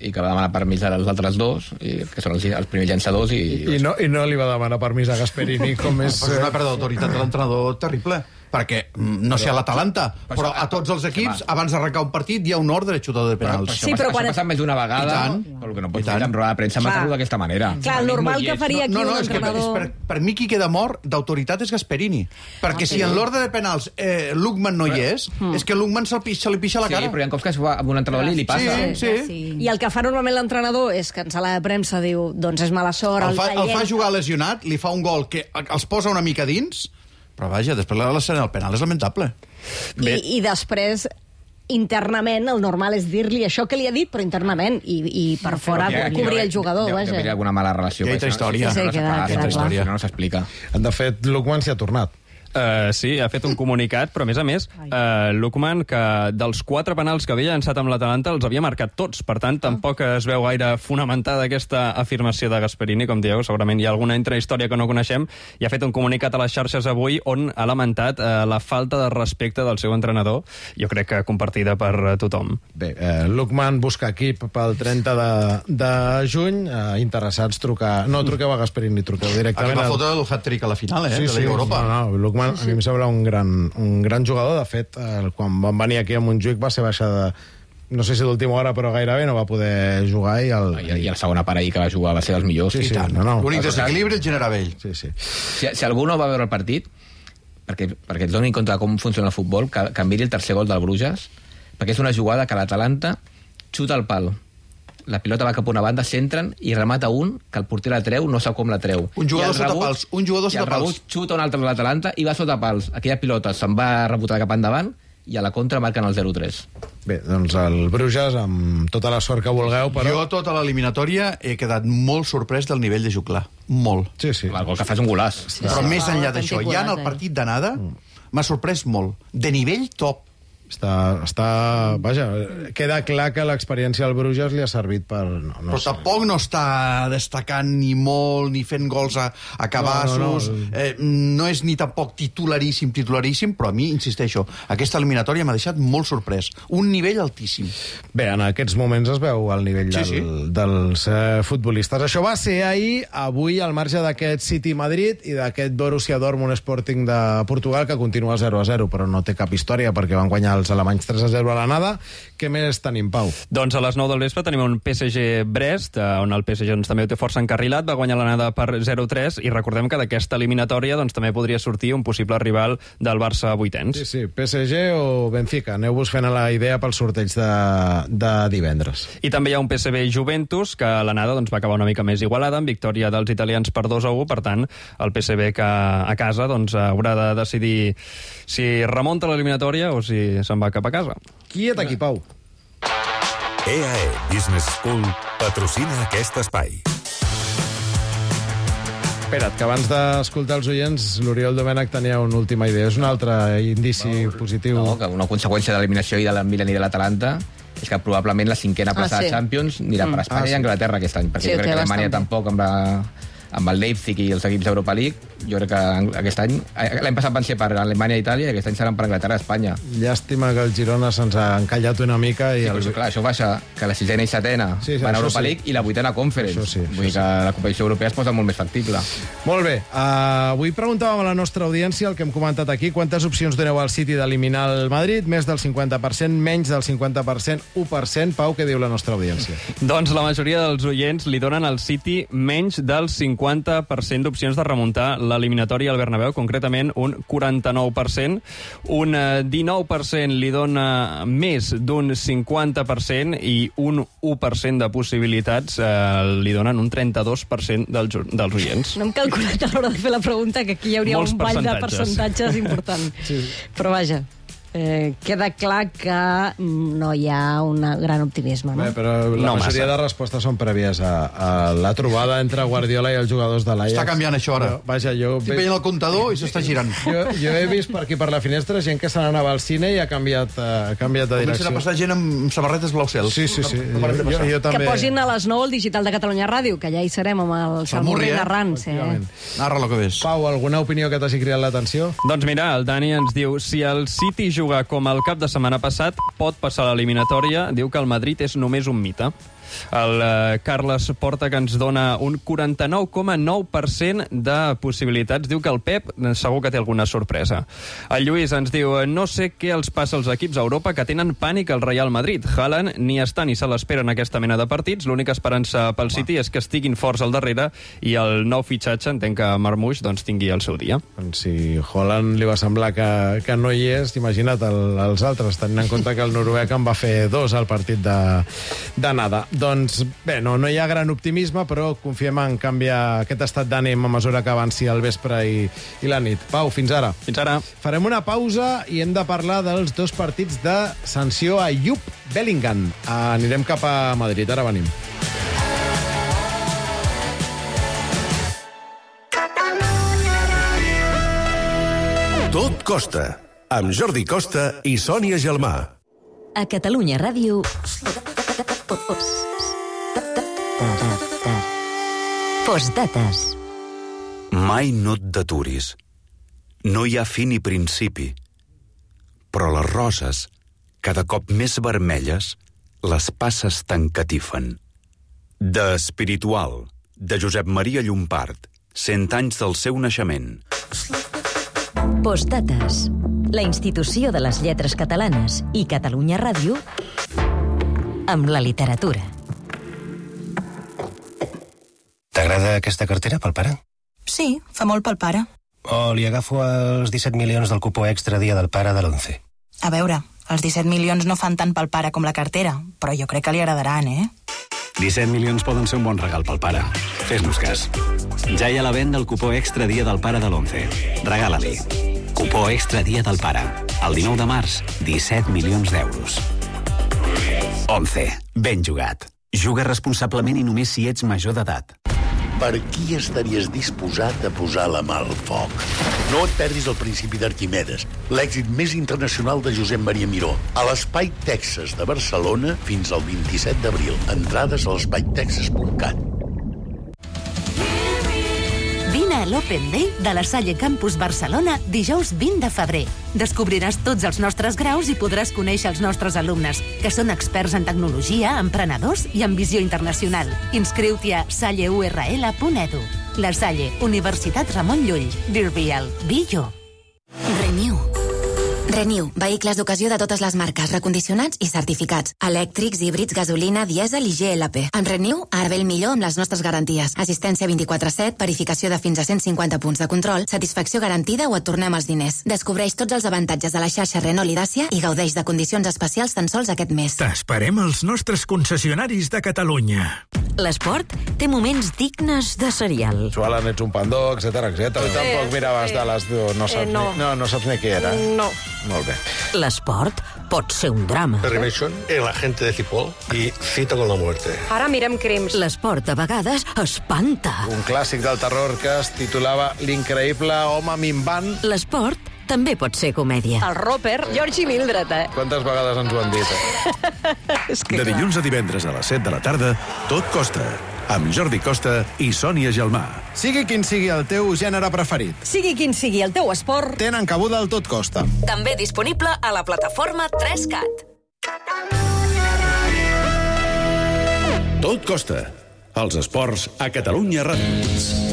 i que va demanar permís als altres dos, i que són els, els primers llançadors. I, I, no, I no li va demanar permís a Gasperini, com és... És una pèrdua d'autoritat de l'entrenador terrible. Perquè, no sé, a l'Atalanta, però a tots els equips, abans d'arrencar un partit, hi ha un ordre de xutador de penals. Però, però sí, però quan... Això passa més d'una vegada, però el que no pots fer en roda de premsa matar-lo d'aquesta manera. Clar, el normal que faria aquí no, no, un és que entrenador... per, per, per mi qui queda mort d'autoritat és Gasperini. Perquè si en l'ordre de penals eh, Lukman no hi és, és que Lukman se li pixa la cara. Sí, però hi ha cops que amb un entrenador li passa. Sí, sí. I el que fa normalment l'entrenador és que en sala de premsa diu, doncs és mala sort, el fa, el fa jugar lesionat, li fa un gol que els posa una mica dins, però vaja, després l'escena del penal és lamentable. I, i després internament el normal és dir-li això que li ha dit, però internament, i, i per fora cobrir el jugador. Deu haver alguna mala relació. Hi ha història. Sí, sí, queda, queda clar. No s'explica. De fet, Lukman s'hi ha tornat. Uh, sí, ha fet un comunicat, però a més a més, uh, Lukman, que dels quatre penals que havia llançat amb l'Atalanta els havia marcat tots, per tant, tampoc es veu gaire fonamentada aquesta afirmació de Gasperini, com dieu, segurament hi ha alguna intrahistòria que no coneixem, i ha fet un comunicat a les xarxes avui on ha lamentat uh, la falta de respecte del seu entrenador, jo crec que compartida per uh, tothom. Bé, eh, Lukman busca equip pel trenta de, de juny, eh, interessats trucar... No truqueu a Gasperini, truqueu directament... Aquí va fotre el hat-trick a la final, eh, sí, de la Lliga Europa. No, no, Lukman a mi em sembla un gran, un gran jugador. De fet, eh, quan van venir aquí a Montjuïc va ser baixada, no sé si d'última hora, però gairebé no va poder jugar. I el, I, i la segona part ahir que va jugar va ser dels millors. Sí, sí, no, no. L'únic desequilibri el genera ell. Sí, sí. Si, si algú no va veure el partit, perquè, perquè et doni en compte de com funciona el futbol, que, que miri el tercer gol del Bruges, perquè és una jugada que l'Atalanta xuta al pal. La pilota va cap a una banda, s'entren i remata un, que el porter la treu, no sap com la treu. Un jugador sota pals, un jugador sota pals. I el rebut xuta un altre de l'Atalanta i va sota pals. Aquella pilota se'n va rebotar cap endavant i a la contra marquen el zero tres. Bé, doncs el Bruges, amb tota la sort que vulgueu, però... Jo, tota l'eliminatòria, he quedat molt sorprès del nivell de Juclar. Molt. Sí, sí. El gol que fa és un golàs. Però més enllà d'això, ja en el partit d'anada, m'ha sorprès molt. De nivell top. Està, està... Vaja, queda clar que l'experiència al Bruges li ha servit per... No, no però sé. tampoc no està destacant ni molt, ni fent gols a, a cabassos. No, no, no. Eh, no és ni tampoc titularíssim, titularíssim, però a mi, insisteixo, aquesta eliminatòria m'ha deixat molt sorprès. Un nivell altíssim. Bé, en aquests moments es veu el nivell del, sí, sí. dels eh, futbolistes. Això va ser ahir, avui, al marge d'aquest City-Madrid i d'aquest Borussia Dortmund Sporting de Portugal, que continua zero a zero, però no té cap història, perquè van guanyar els alemanys tres a zero a l'anada. Què més tenim, Pau? Doncs a les nou del vespre tenim un P S G Brest, on el P S G doncs, també ho té força encarrilat, va guanyar l'anada per zero a tres, i recordem que d'aquesta eliminatòria doncs, també podria sortir un possible rival del Barça vuitens. Sí, sí, P S G o Benfica. Aneu-vos fent a la idea pel sorteig de, de divendres. I també hi ha un P S V Juventus, que l'anada doncs, va acabar una mica més igualada, amb victòria dels italians per dos a u, per tant, el P S V que a casa doncs, haurà de decidir si remunta l'eliminatòria o si se'n va cap a casa. Quiet aquí, Pau. E A E Business School patrocina aquest espai. Espera't, que abans d'escoltar els oients, l'Oriol Domènech tenia una última idea. És un altre indici no, positiu. No, que una conseqüència de l'eliminació i de la Milan i de l'Atalanta és que probablement la cinquena plaça ah, sí. de Champions anirà mm. per Espanya ah, sí. i Anglaterra aquest any, perquè sí, jo crec que Alemanya tampoc amb la... amb el Leipzig i els equips d'Europa League, jo crec que aquest any... L'any passat van ser per Alemanya i Itàlia, i aquest any seran per Anglaterra i Espanya. Llàstima que el Girona se'ns ha encallat una mica. I sí, el... però clar, això baixa que la sisena i setena sí, sí, van a Europa sí. League i la vuitena Conference. Sí, Vull dir que sí. la competició europea es posa molt més factible. Molt bé. Uh, avui preguntàvem a la nostra audiència el que hem comentat aquí. Quantes opcions doneu al City d'eliminar el Madrid? Més del cinquanta per cent, menys del cinquanta per cent, u per cent. Pau, què diu la nostra audiència? Doncs la majoria dels oients li donen al City menys del cinquanta per cent d'opcions de remuntar l'eliminatòria al Bernabéu, concretament un quaranta-nou per cent. Un dinou per cent li dona més d'un cinquanta per cent i un u per cent de possibilitats eh, li donen un trenta-dos per cent dels, dels oients. No hem calculat a l'hora de fer la pregunta que aquí hi hauria Molts un ball de percentatges important. Sí. Però vaja... eh, queda clar que no hi ha un gran optimisme. No? Bé, però la No majoria massa. de respostes són prèvies a, a la trobada entre Guardiola i els jugadors de l'Ajax. Està canviant això, ara. Jo, vaja, jo... Estic veient el comptador i s'està girant. Jo, jo he vist per aquí per la finestra gent que se n'anava al cine i ha canviat, uh, ha canviat de Comencen direcció. a passar gent amb samarretes blau cel. Sí, sí, sí. No, no Jo, jo, jo Que també... posin a les nou el digital de Catalunya Ràdio, que ja hi serem amb el Salmurri eh? narrant. Sí. Narra lo que ves. Pau, alguna opinió que t'hagi cridat l'atenció? Doncs mira, el Dani ens diu si el City juga com el cap de setmana passat, pot passar a l'eliminatòria. Diu que el Madrid és només un mite. El eh, Carles Porta, que ens dona un quaranta-nou coma nou per cent de possibilitats. Diu que el Pep eh, segur que té alguna sorpresa. El Lluís ens diu no sé què els passa als equips a Europa que tenen pànic al Real Madrid. Haaland ni està ni se l'espera en aquesta mena de partits. L'única esperança pel City és que estiguin forts al darrere i el nou fitxatge, entenc que Marmoush, doncs, tingui el seu dia. Doncs si Haaland li va semblar que, que no hi és, imagina't el, els altres, tenint en compte que el noruec en va fer dos al partit de, de nada. Doncs bé, no, no hi ha gran optimisme, però confiem en canviar aquest estat d'ànim a mesura que avanci el vespre i, i la nit. Pau, fins ara. Fins ara. Farem una pausa i hem de parlar dels dos partits de sanció a Jupp Bellingham. Anirem cap a Madrid, ara venim. Tot costa, amb Jordi Costa i Sònia Gelmà. A Catalunya Ràdio... Postdates. Mai no et deturis. No hi ha fi ni principi. Però les roses, cada cop més vermelles, les passes t'encatifen. De Espiritual, de Josep Maria Llompart, cent anys del seu naixement. Postdates. La institució de les lletres catalanes i Catalunya Ràdio amb la literatura. T'agrada aquesta cartera pel pare? Sí, fa molt pel pare. O li agafo els disset milions del cupó extra dia del pare de l'onze? A veure, els disset milions no fan tant pel pare com la cartera, però jo crec que li agradaran, eh? disset milions poden ser un bon regal pel pare. Fes-nos cas. Ja hi ha la venda el cupó extra dia del pare de l'onze. Regala-li. Cupó extra dia del pare. El dinou de març, disset milions d'euros. onze. Ben jugat. Juga responsablement i només si ets major d'edat. Per qui estaries disposat a posar la mà al foc? No et perdis el principi d'Arquimedes, l'èxit més internacional de Josep Maria Miró, a l'Espai Texas de Barcelona fins al vint-i-set d'abril. Entrades a l'espai texas punt cat. Vine a l'Open Day de la Salle Campus Barcelona dijous vint de febrer. Descobriràs tots els nostres graus i podràs conèixer els nostres alumnes, que són experts en tecnologia, emprenedors i en visió internacional. Inscriu-t'hi a salle u erre ele punt edu. La Salle, Universitat Ramon Llull. Be real, be you. Renew. Renew, vehicles d'ocasió de totes les marques, recondicionats i certificats. Elèctrics, híbrids, gasolina, dièsel i G L P. En Renew, ara ve el millor amb les nostres garanties. Assistència vint-i-quatre set, verificació de fins a cent cinquanta punts de control, satisfacció garantida o et tornem els diners. Descobreix tots els avantatges de la xarxa Renault i Dacia i gaudeix de condicions especials tan sols aquest mes. T'esperem als nostres concessionaris de Catalunya. L'esport té moments dignes de serial. Sualan, ets un pandó, etcètera, etcètera. Tu tampoc miraves de les dues, no saps, Eh, no. Ni, no, no saps ni què era. No. Molt bé. L'esport pot ser un drama. Perry Mason, el agente de Cipoll i Cita con la muerte. Ara mirem crims. L'esport a vegades espanta. Un clàssic del terror que es titulava L'increïble home minvant. L'esport també pot ser comèdia. El Roper, George i Mildred, eh? Quantes vegades ens ho han dit, eh? És que De clar. dilluns a divendres a les set de la tarda, Tot costa, amb Jordi Costa i Sònia Gelmà. Sigui quin sigui el teu gènere preferit, Sigui quin sigui el teu esport, tenen cabuda al Tot costa. També disponible a la plataforma tres cat. Tot costa, els esports a Catalunya Ràdio.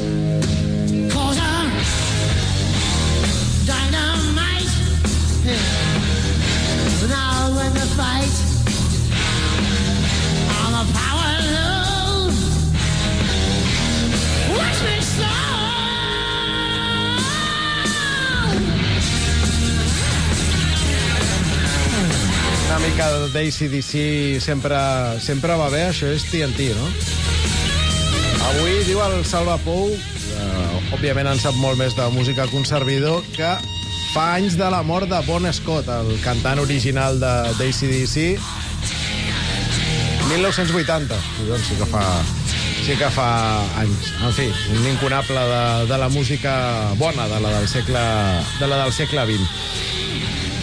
Una mica d'A C D C sempre, sempre va bé, això és T N T, no? Avui diu el Salva Pou, que òbviament en sap molt més de música conservador, que fa anys de la mort de Bon Scott, el cantant original de d'A C D C. mil nou-cents vuitanta. Doncs sí que fa, sí que fa anys. En fi, un incunable de, de la música bona, de la del segle, de la del segle vint.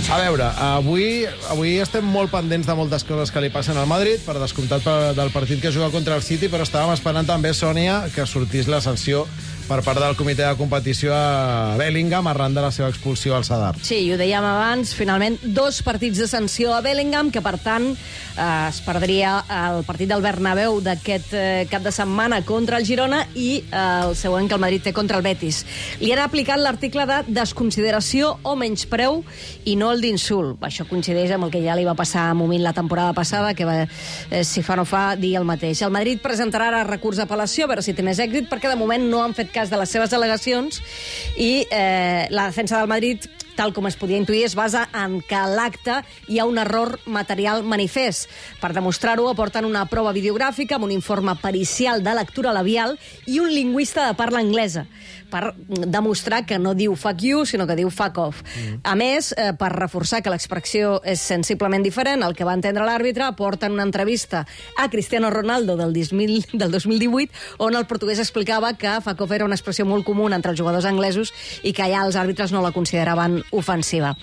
A veure, avui, avui estem molt pendents de moltes coses que li passen al Madrid, per descomptat del partit que juga contra el City, però estàvem esperant també, Sònia, que sortís la sanció per part del comitè de competició a Bellingham arran de la seva expulsió al Sadar. Sí, ho dèiem abans, finalment dos partits de sanció a Bellingham, que per tant eh, es perdria el partit del Bernabéu d'aquest eh, cap de setmana contra el Girona i eh, el següent que el Madrid té contra el Betis. Li han aplicat l'article de desconsideració o menyspreu i no el d'insult. Això coincideix amb el que ja li va passar a Momín la temporada passada, que va, eh, si fa no fa, dir el mateix. El Madrid presentarà ara recurs d'apel·lació a veure si té més èxit, perquè de moment no han fet cas de les seves al·legacions i eh, la defensa del Madrid, tal com es podia intuir, es basa en que a l'acte hi ha un error material manifest. Per demostrar-ho, aporten una prova videogràfica amb un informe pericial de lectura labial i un lingüista de parla anglesa, per demostrar que no diu fuck you, sinó que diu fuck off. Mm. A més, eh, per reforçar que l'expressió és sensiblement diferent al que va entendre l'àrbitre, aporten una entrevista a Cristiano Ronaldo del, del dos mil divuit, on el portuguès explicava que fuck off era una expressió molt comuna entre els jugadors anglesos i que ja els àrbitres no la consideraven ofensiva.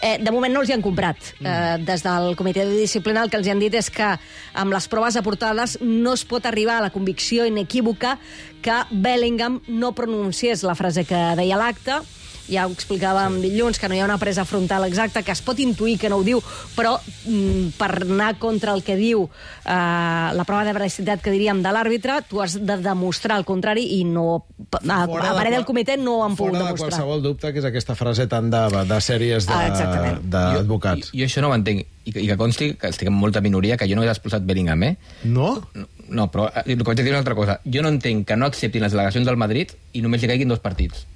Eh, de moment no els hi han comprat. Eh, des del comitè de disciplina el que els hi han dit és que amb les proves aportades no es pot arribar a la convicció inequívoca que Bellingham no pronunciés la frase que deia l'acte. Ja ho explicàvem dilluns, que no hi ha una presa frontal exacta, que es pot intuir que no ho diu, però mm, per anar contra el que diu eh, la prova de veracitat que diríem de l'àrbitre, tu has de demostrar el contrari i no, a, a parer del comitè no ho han pogut demostrar. Fora de qualsevol dubte, que és aquesta frase tan de, de sèries d'advocats. Jo, jo això no ho entenc, i que, i que consti que estic en molta minoria, que jo no he expulsat Bellingham, eh? No? No, no però el que vaig dir és una altra cosa. Jo no entenc que no acceptin les delegacions del Madrid i només li caiguin dos partits.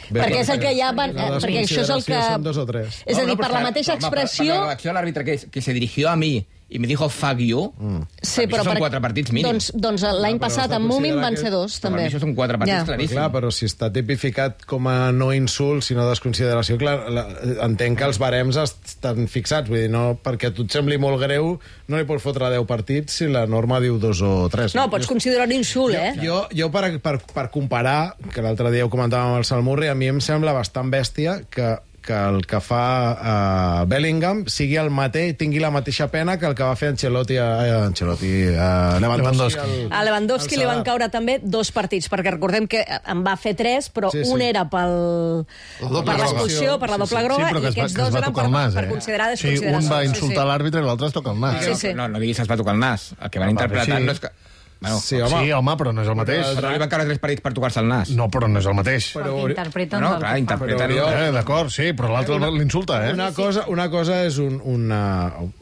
Bé, perquè és el que ja van... Eh, perquè això és el que... Dos o tres. És a dir, per la mateixa expressió... Per la reacció de l'àrbitre que, que se dirigió a mi i me dijo fuck you, mm. sí, però són per... quatre partits mínims. Doncs, doncs l'any passat amb Múmin van ser dos, també. Per això són quatre partits ja. claríssims. Clar, però si està tipificat com a no insult, sinó desconsideració, clar, la, entenc que els barems estan fixats, vull dir, no, perquè a tu et sembli molt greu, no li pots fotre deu partits si la norma diu dos o tres. No, pots considerar un insult, jo, eh? Jo, jo per, per, per comparar, que l'altre dia ho comentàvem amb el Salmurri, a mi em sembla bastant bèstia que que el que fa uh, Bellingham sigui el mateix, tingui la mateixa pena que el que va fer Ancelotti a, a, Ancelotti, a Lewandowski. Al, a Lewandowski li van caure també dos partits, perquè recordem que en va fer tres, però sí, sí. un era pel, per l'expulsió, per la doble groga, sí, sí, i aquests dos eren per, nas, eh? per considerar desconsideració. Sí, un va insultar sí, sí. l'àrbitre i l'altre es toca el nas. Sí, sí. No, no diguis es va tocar el nas. El que van ah, interpretar sí. no és que... Bueno, sí, home. sí, home, però no és el mateix. Però li van caure tres partits per tocar-se el nas. No, però no és el mateix. Però interpreten no, clar, interpreten però, eh, d'acord, sí, però l'altre l'insulta, eh? Una cosa, una cosa és un, una,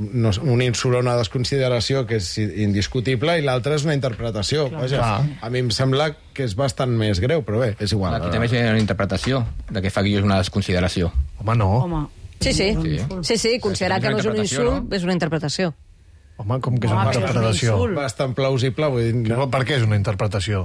no, un insult o una desconsideració que és indiscutible i l'altra és una interpretació. Vaja, a mi em sembla que és bastant més greu, però bé, és igual. Aquí també és una interpretació de que fa que és una desconsideració. Home, no. Home. Sí, sí, sí, sí, sí considerar que no és un insult no? és una interpretació. Home, com que és una interpretació? Bastant plausible, vull dir... No. Per què és una interpretació?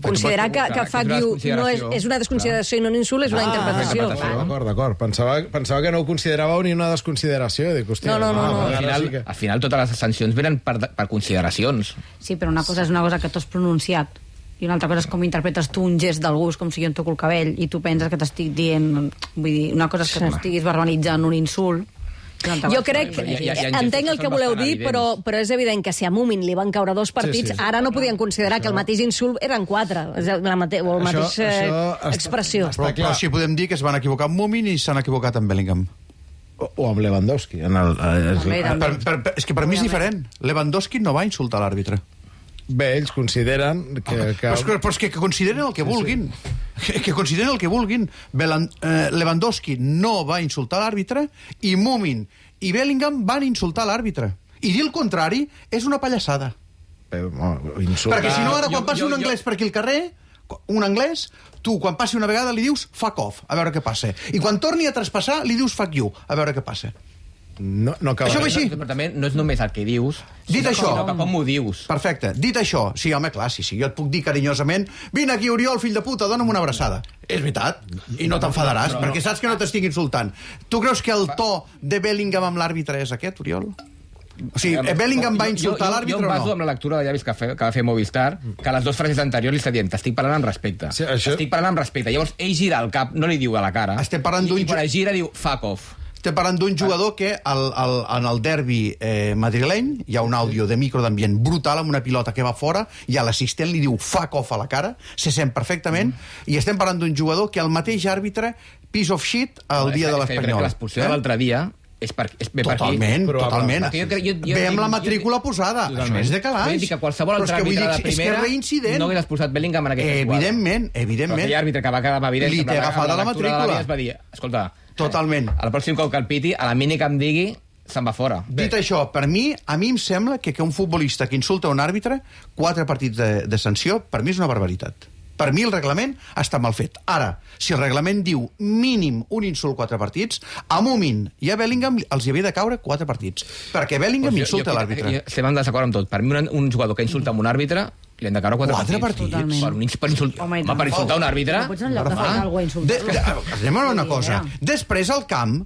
Considerar que, que fuck you no és, és una desconsideració i no un insult és una ah, interpretació. D'acord, d'acord. Pensava, pensava que no ho consideràveu ni una desconsideració. Dic, hòstia, no, no, no. no. Al, final, sí que... al final totes les sancions venen per, per consideracions. Sí, però una cosa és una cosa que tu has pronunciat i una altra cosa és com interpretes tu un gest d'algú, com si jo em toco el cabell i tu penses que t'estic dient... Vull dir, una cosa és que sí, t'estiguis verbalitzant un insult. Jo crec, ja, ja, ja, entenc el que voleu dir, però, però és evident que si a Múmin li van caure dos partits, sí, sí. ara no podien considerar això... que el mateix insult eren quatre, la mate o la mateixa eh, expressió. Però, però sí podem dir que es van equivocar amb Múmin i s'han equivocat amb Bellingham. O, o amb Lewandowski. En el, el, el, el, per, per, per, és que per mi és diferent. Lewandowski no va insultar l'àrbitre. Bé, ells consideren que... que... Però, és que, però és que, que consideren el que vulguin. Sí, sí. Que, que consideren el que vulguin. Belan, eh, Lewandowski no va insultar l'àrbitre i Múmin i Bellingham van insultar l'àrbitre. I dir el contrari és una pallassada. Però, no, insultar... Perquè si no, ara quan passi jo, jo, un anglès jo... per aquí al carrer, un anglès, tu quan passi una vegada li dius fuck off, a veure què passa. I quan torni a traspassar li dius fuck you, a veure què passa. No, no acaba. Això va així. Però també no és només el que dius, Dit sinó això... que com ho dius. Perfecte. Dit això, sí, home, clar, sí, sí, jo et puc dir carinyosament vine aquí, Oriol, fill de puta, dona'm una abraçada. És veritat, i no t'enfadaràs, no, no, perquè saps que no t'estic insultant. Tu creus que el to de Bellingham amb l'àrbitre és aquest, Oriol? O sigui, Bellingham va insultar l'àrbitre o no? Jo em baso amb la lectura de llavis que, fe, que va fer Movistar, que les dues frases anteriors li està dient t'estic parlant amb respecte. Sí, això... Estic parlant amb respecte. Llavors, ell gira el cap, no li diu a la cara. Estem parlant d'un... I quan es gira diu fuck off. Estem parlant d'un jugador que el, el, en el derbi eh, madrileny hi ha un àudio de micro d'ambient brutal amb una pilota que va fora i a l'assistent li diu fuck off a la cara, se sent perfectament, mm. i estem parlant d'un jugador que el mateix àrbitre piece of shit el no, dia de l'Espanyol. L'expulsió eh? de l'altre dia és per, és bé totalment, per aquí. Totalment, jo, jo, jo, Ve amb la jo, matrícula posada. Totalment. Això és de calaix. Vull dir que qualsevol altre àrbitre de primera és no hagués expulsat Bellingham en aquesta jugada. Evidentment, evidentment. Però aquell àrbitre que va quedar evident... Li té agafada la matrícula. Es va dir, escolta, totalment. El pròxim cop que el piti, a la mini que em digui, se'n va fora. Dit Bé. això, per mi, a mi em sembla que, que un futbolista que insulta un àrbitre, quatre partits de, de sanció, per mi és una barbaritat. Per mi el reglament està mal fet. Ara, si el reglament diu mínim un insult quatre partits, a Mumin i a Bellingham els hi havia de caure quatre partits. Perquè Bellingham pues jo, insulta jo, l'àrbitre. Estem en desacord amb tot. Per mi un, un jugador que insulta amb un àrbitre li han de caure quatre, quatre partits. partits? Per, un, per, insult... Home, Home, per insultar un àrbitre... No pots en lloc de fer alguna cosa insultar. Anem a una cosa. Després al camp,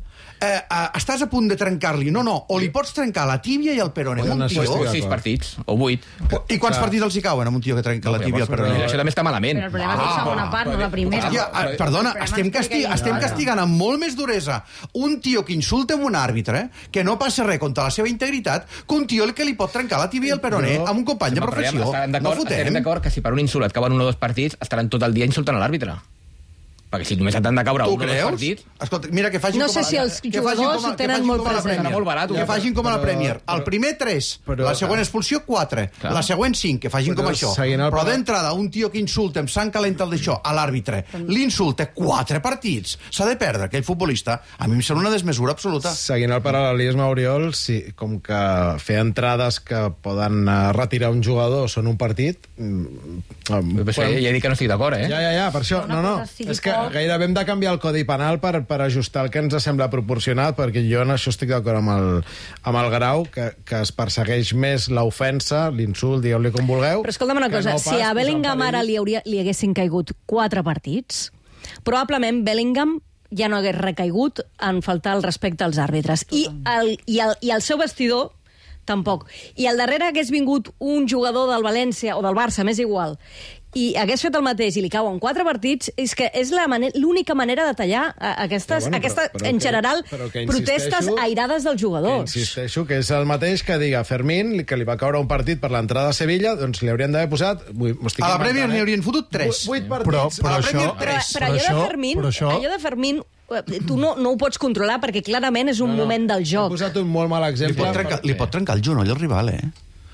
eh, eh, estàs a punt de trencar-li. No, no, o li pots trencar la tíbia i el peroné. Un tio... O sis partits, o vuit. I quants Clar. partits els hi cauen amb un tio que trenca no, la tíbia i el peroné? Això també està malament. Però el problema és la segona part, no la primera. Hòstia, perdona, estem, casti estem castigant amb molt més duresa un tio que insulta un àrbitre, que no passa res contra la seva integritat, que un tio que li pot trencar la tíbia i el peroné amb un company de professió. No fotem. Estarem d'acord que si per un insult et cauen un o dos partits, estaran tot el dia insultant a l'àrbitre. Perquè si només t'han de caure un o dos partits... Escolta, mira, que facin no com sé si els jugadors ho tenen molt present. Molt barat, que facin com a la Premier. El primer tres, la següent expulsió quatre, la següent cinc, que facin com això. Però d'entrada, un tio que insulta amb sang calenta el d'això a l'àrbitre, l'insulta quatre partits, s'ha de perdre aquell futbolista. A mi em sembla una desmesura absoluta. Seguint el paral·lelisme, Oriol, sí, com que fer entrades que poden retirar un jugador són un partit... Ja he dit que no estic d'acord, eh? Ja, ja, ja, per això. No, no, és que gairebé hem de canviar el codi penal per, per ajustar el que ens sembla proporcionat, perquè jo en això estic d'acord amb, el, amb el Grau, que, que es persegueix més l'ofensa, l'insult, digueu-li com vulgueu. Però escolta'm una cosa, no si a Bellingham ara li, hauria, li haguessin caigut quatre partits, probablement Bellingham ja no hagués recaigut en faltar el respecte als àrbitres. I el, i, el, I el seu vestidor tampoc. I al darrere hagués vingut un jugador del València o del Barça, m'és igual, i hagués fet el mateix i li cauen quatre partits, és que és l'única manera de tallar aquestes, bueno, aquesta, però, però en general, que, que protestes airades dels jugadors. Que insisteixo que és el mateix que diga Fermín, que li va caure un partit per l'entrada a Sevilla, doncs li haurien d'haver posat... A la Premier n'hi haurien fotut tres. Vuit partits. Però, però, a la això, però, però allò de Fermín, això... allò de Fermín tu no, no ho pots controlar perquè clarament és un no, no. moment del joc. He posat un molt mal exemple. Li pot trencar, li pot trencar el genoll al rival, eh?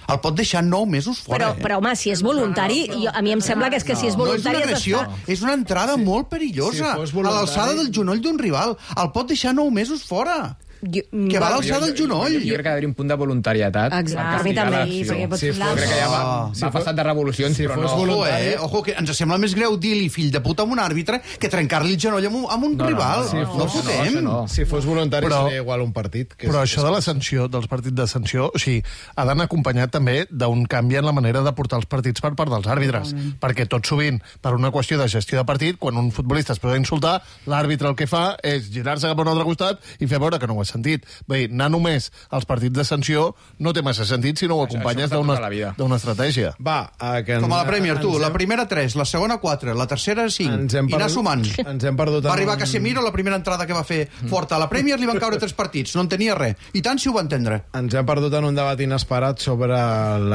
El pot deixar nou mesos fora, però, eh? però, home, si és voluntari, no, no, jo, a mi em sembla que és que no, si és voluntari... No és una agressió, és una entrada sí. molt perillosa. Si a l'alçada del genoll d'un rival. El pot deixar nou mesos fora. Jo, que va a l'alçada del genoll. Jo, jo crec que ha d'haver un punt de voluntarietat. Exacte, a mi també. Perquè sí, jo crec que ja va, si va passat de revolucions, si però no. Ojo, eh? Ojo, que ens sembla més greu dir-li fill de puta amb un àrbitre que trencar-li el genoll amb un, amb un no, rival. No, no, no, no fotem. No, no. Si fos voluntari però, seria igual un partit. Que però és, això de la sanció, dels partits de sanció, o sigui, ha d'anar acompanyat també d'un canvi en la manera de portar els partits per part dels àrbitres. Mm. Perquè tot sovint, per una qüestió de gestió de partit, quan un futbolista es pot insultar, l'àrbitre el que fa és girar-se cap a un altre costat i fer veure que no ho ha sentit. Bé, anar només als partits de sanció no té massa sentit si no ho acompanyes d'una estratègia. Va, a que com a la Premier, tu, hem... la primera tres, la segona quatre, la tercera cinc, i anar sumant. Ens hem perdut... Va arribar Casemiro, la primera entrada que va fer forta a la Premier, li van caure tres partits, no en tenia res. I tant si ho va entendre. Ens hem perdut en un debat inesperat sobre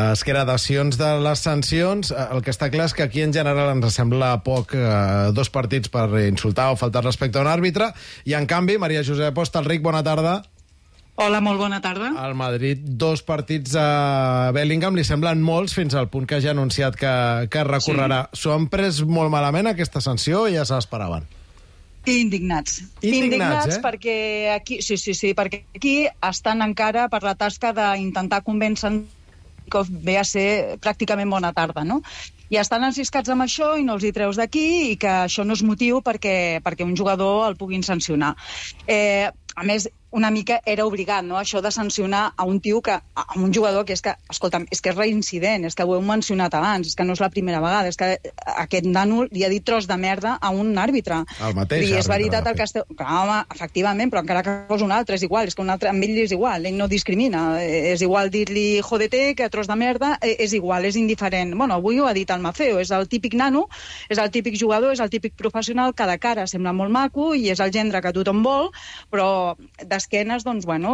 les gradacions de les sancions. El que està clar és que aquí en general ens sembla poc eh, dos partits per insultar o faltar respecte a un àrbitre, i en canvi, Maria Josep Hostalric, bona tarda. Hola, molt bona tarda. Al Madrid, dos partits a Bellingham li semblen molts, fins al punt que ja ha anunciat que, que recorrerà. S'ho han pres molt malament, aquesta sanció, i ja se l'esperaven? Indignats. Indignats, Indignats eh? perquè aquí, sí, sí, sí, perquè aquí estan encara per la tasca d'intentar convèncer que ve a ser pràcticament bona tarda, no? I estan enciscats amb això i no els hi treus d'aquí, i que això no és motiu perquè, perquè un jugador el puguin sancionar. Eh, a més, una mica era obligat, no?, això de sancionar a un tio que, a un jugador que és que, escolta'm, és que és reincident, és que ho heu mencionat abans, és que no és la primera vegada, és que aquest nano li ha dit tros de merda a un àrbitre. El mateix I és àrbitre, veritat de el que esteu... Clar, home, efectivament, però encara que fos un altre és igual, és que un altre, amb ell és igual, ell no discrimina, és igual dir-li jodete que tros de merda, és igual, és indiferent. Bueno, avui ho ha dit el Maceo, és el típic nano, és el típic jugador, és el típic professional que de cara sembla molt maco i és el gendre que tothom vol, però d'esquenes, doncs, bueno,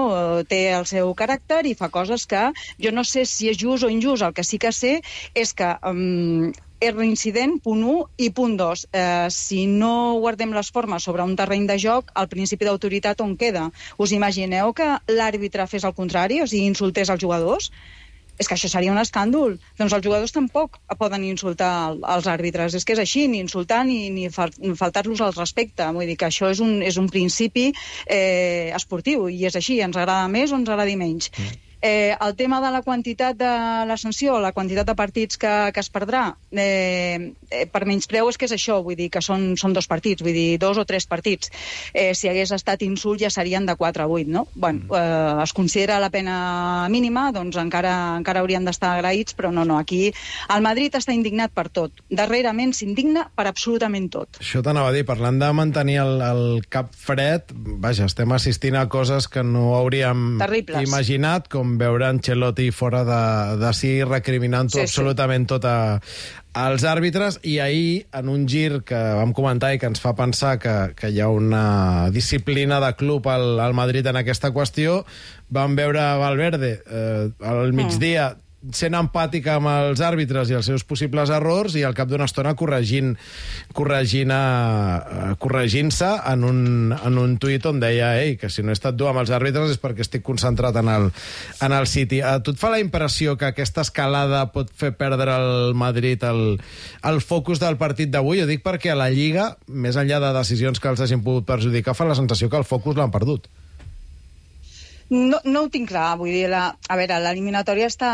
té el seu caràcter i fa coses que jo no sé si és just o injust. El que sí que sé és que um, és reincident, punt un, i punt dos, eh, si no guardem les formes sobre un terreny de joc, el principi d'autoritat on queda? Us imagineu que l'àrbitre fes el contrari, o sigui, insultés els jugadors? És que això seria un escàndol. Doncs els jugadors tampoc poden insultar els àrbitres. És que és així, ni insultar ni, ni faltar-los al respecte. Vull dir que això és un, és un principi eh, esportiu, i és així, ens agrada més o ens agradi menys. Mm. Eh, el tema de la quantitat de la sanció, la quantitat de partits que, que es perdrà, eh, eh, per menyspreu és que és això, vull dir que són, són dos partits, vull dir dos o tres partits. Eh, si hagués estat insult ja serien de quatre a vuit, no? Bueno, eh, es considera la pena mínima, doncs encara, encara haurien d'estar agraïts, però no, no, aquí el Madrid està indignat per tot. Darrerament s'indigna per absolutament tot. Això t'anava a dir, parlant de mantenir el, el cap fred, vaja, estem assistint a coses que no hauríem Terribles. imaginat, com veure Ancelotti fora de, de si recriminant sí, absolutament sí. tot a, als àrbitres, i ahir, en un gir que vam comentar i que ens fa pensar que, que hi ha una disciplina de club al, al Madrid en aquesta qüestió, vam veure Valverde eh, al migdia mm. sent empàtica amb els àrbitres i els seus possibles errors, i al cap d'una estona corregint corregint a, corregint-se en un, en un tuit on deia ei, que si no he estat dur amb els àrbitres és perquè estic concentrat en el, en el City. A tu et fa la impressió que aquesta escalada pot fer perdre al Madrid el, el focus del partit d'avui? Ho dic perquè a la Lliga, més enllà de decisions que els hagin pogut perjudicar, fa la sensació que el focus l'han perdut. No, no ho tinc clar, vull dir, la, a veure, l'eliminatòria està,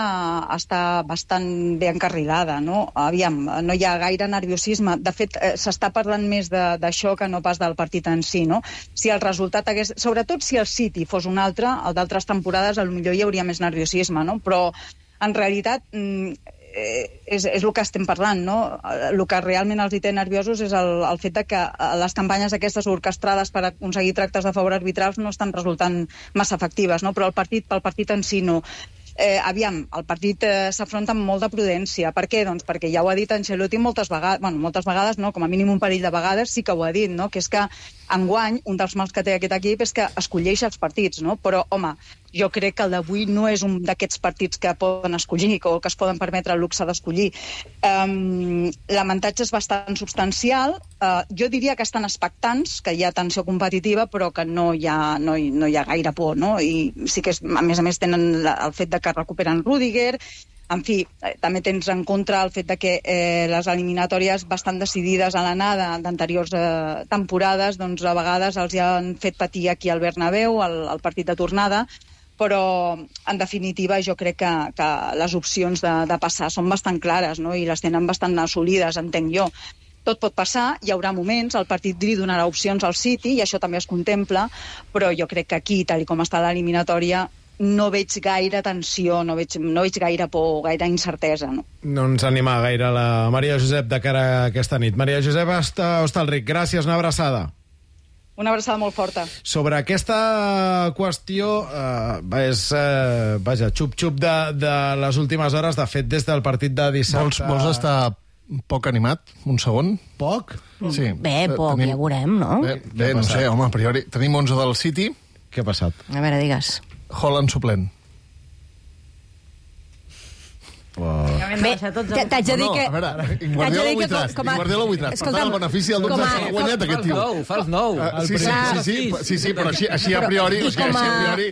està bastant bé encarrilada, no? Aviam, no hi ha gaire nerviosisme. De fet, eh, s'està parlant més d'això que no pas del partit en si, no? Si el resultat hagués... Sobretot si el City fos un altre, el d'altres temporades, potser hi hauria més nerviosisme, no? Però, en realitat, eh, és, és el que estem parlant, no? El que realment els hi té nerviosos és el, el fet de que les campanyes aquestes orquestrades per aconseguir tractes de favor arbitrals no estan resultant massa efectives, no? Però el partit, pel partit en si no. Eh, aviam, el partit eh, s'afronta amb molta prudència. Per què? Doncs perquè ja ho ha dit Ancelotti moltes vegades, bueno, moltes vegades no, com a mínim un parell de vegades sí que ho ha dit, no? Que és que enguany un dels mals que té aquest equip és que escolleix els partits, no? Però, home, jo crec que el d'avui no és un d'aquests partits que poden escollir o que es poden permetre el luxe d'escollir. Um, l'avantatge és bastant substancial. Uh, jo diria que estan expectants, que hi ha tensió competitiva, però que no hi ha, no hi, no hi ha gaire por, no? I sí que, és, a més a més, tenen la, el fet de que recuperen Rüdiger. En fi, eh, també tens en contra el fet de que eh, les eliminatòries bastant decidides a l'anada d'anteriors eh, temporades, doncs a vegades els hi han fet patir aquí al Bernabéu, al, al partit de tornada, però en definitiva jo crec que, que les opcions de, de passar són bastant clares, no? I les tenen bastant assolides, entenc jo. Tot pot passar, hi haurà moments, el partit li donarà opcions al City, i això també es contempla, però jo crec que aquí, tal com està l'eliminatòria, no veig gaire tensió, no veig, no veig gaire por, gaire incertesa. No? no ens anima gaire la Maria Josep de cara a aquesta nit. Maria Josep Hostalric, gràcies, una abraçada. Una abraçada molt forta. Sobre aquesta qüestió, eh, és, eh, vaja, xup-xup de, de les últimes hores, de fet, des del partit de dissabte... Vols, vols estar poc animat? Un segon? Poc? Sí. Bé, poc, tenim... ja veurem, no? Bé, bé no sé, home, a priori. Tenim onze del City. Què ha passat? A veure, digues. Holland suplent. Wow. Bé, t'haig de dir que... No, no, a veure, Guardiola ho tras. Guardiola ho tras. Per tant, el benefici del dubte s'ha guanyat aquest tio. Fals nou. Sí, sí, sí, sí, sí, però així, així a priori... I com a,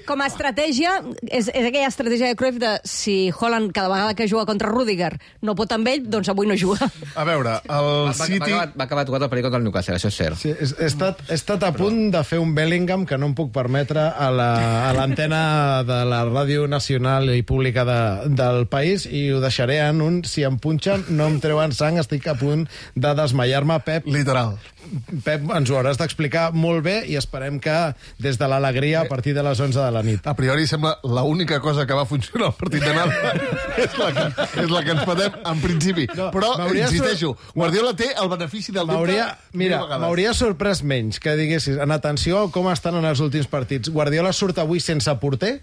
com a estratègia, és, és aquella estratègia de Cruyff de si Holland cada vegada que juga contra Rüdiger no pot amb ell, doncs avui no juga. A veure, el City... Va, va, va acabar tocat el partit contra el Newcastle, això és cert. Sí, he, he, estat, he estat a punt de fer un Bellingham que no em puc permetre a l'antena la, de la Ràdio Nacional i Pública de, del país, i ho deixaré en en un si em punxen no em treuen sang, estic a punt de desmaiar-me. Pep, literal. Pep, ens ho hauràs d'explicar molt bé i esperem que des de l'alegria a partir de les onze de la nit. A priori sembla l'única cosa que va funcionar al partit d'anada és, la que, és la que ens patem en principi. No, però, insisteixo, sur... Guardiola té el benefici del dubte. Mira, m'hauria sorprès menys que diguessis, en atenció com estan en els últims partits. Guardiola surt avui sense porter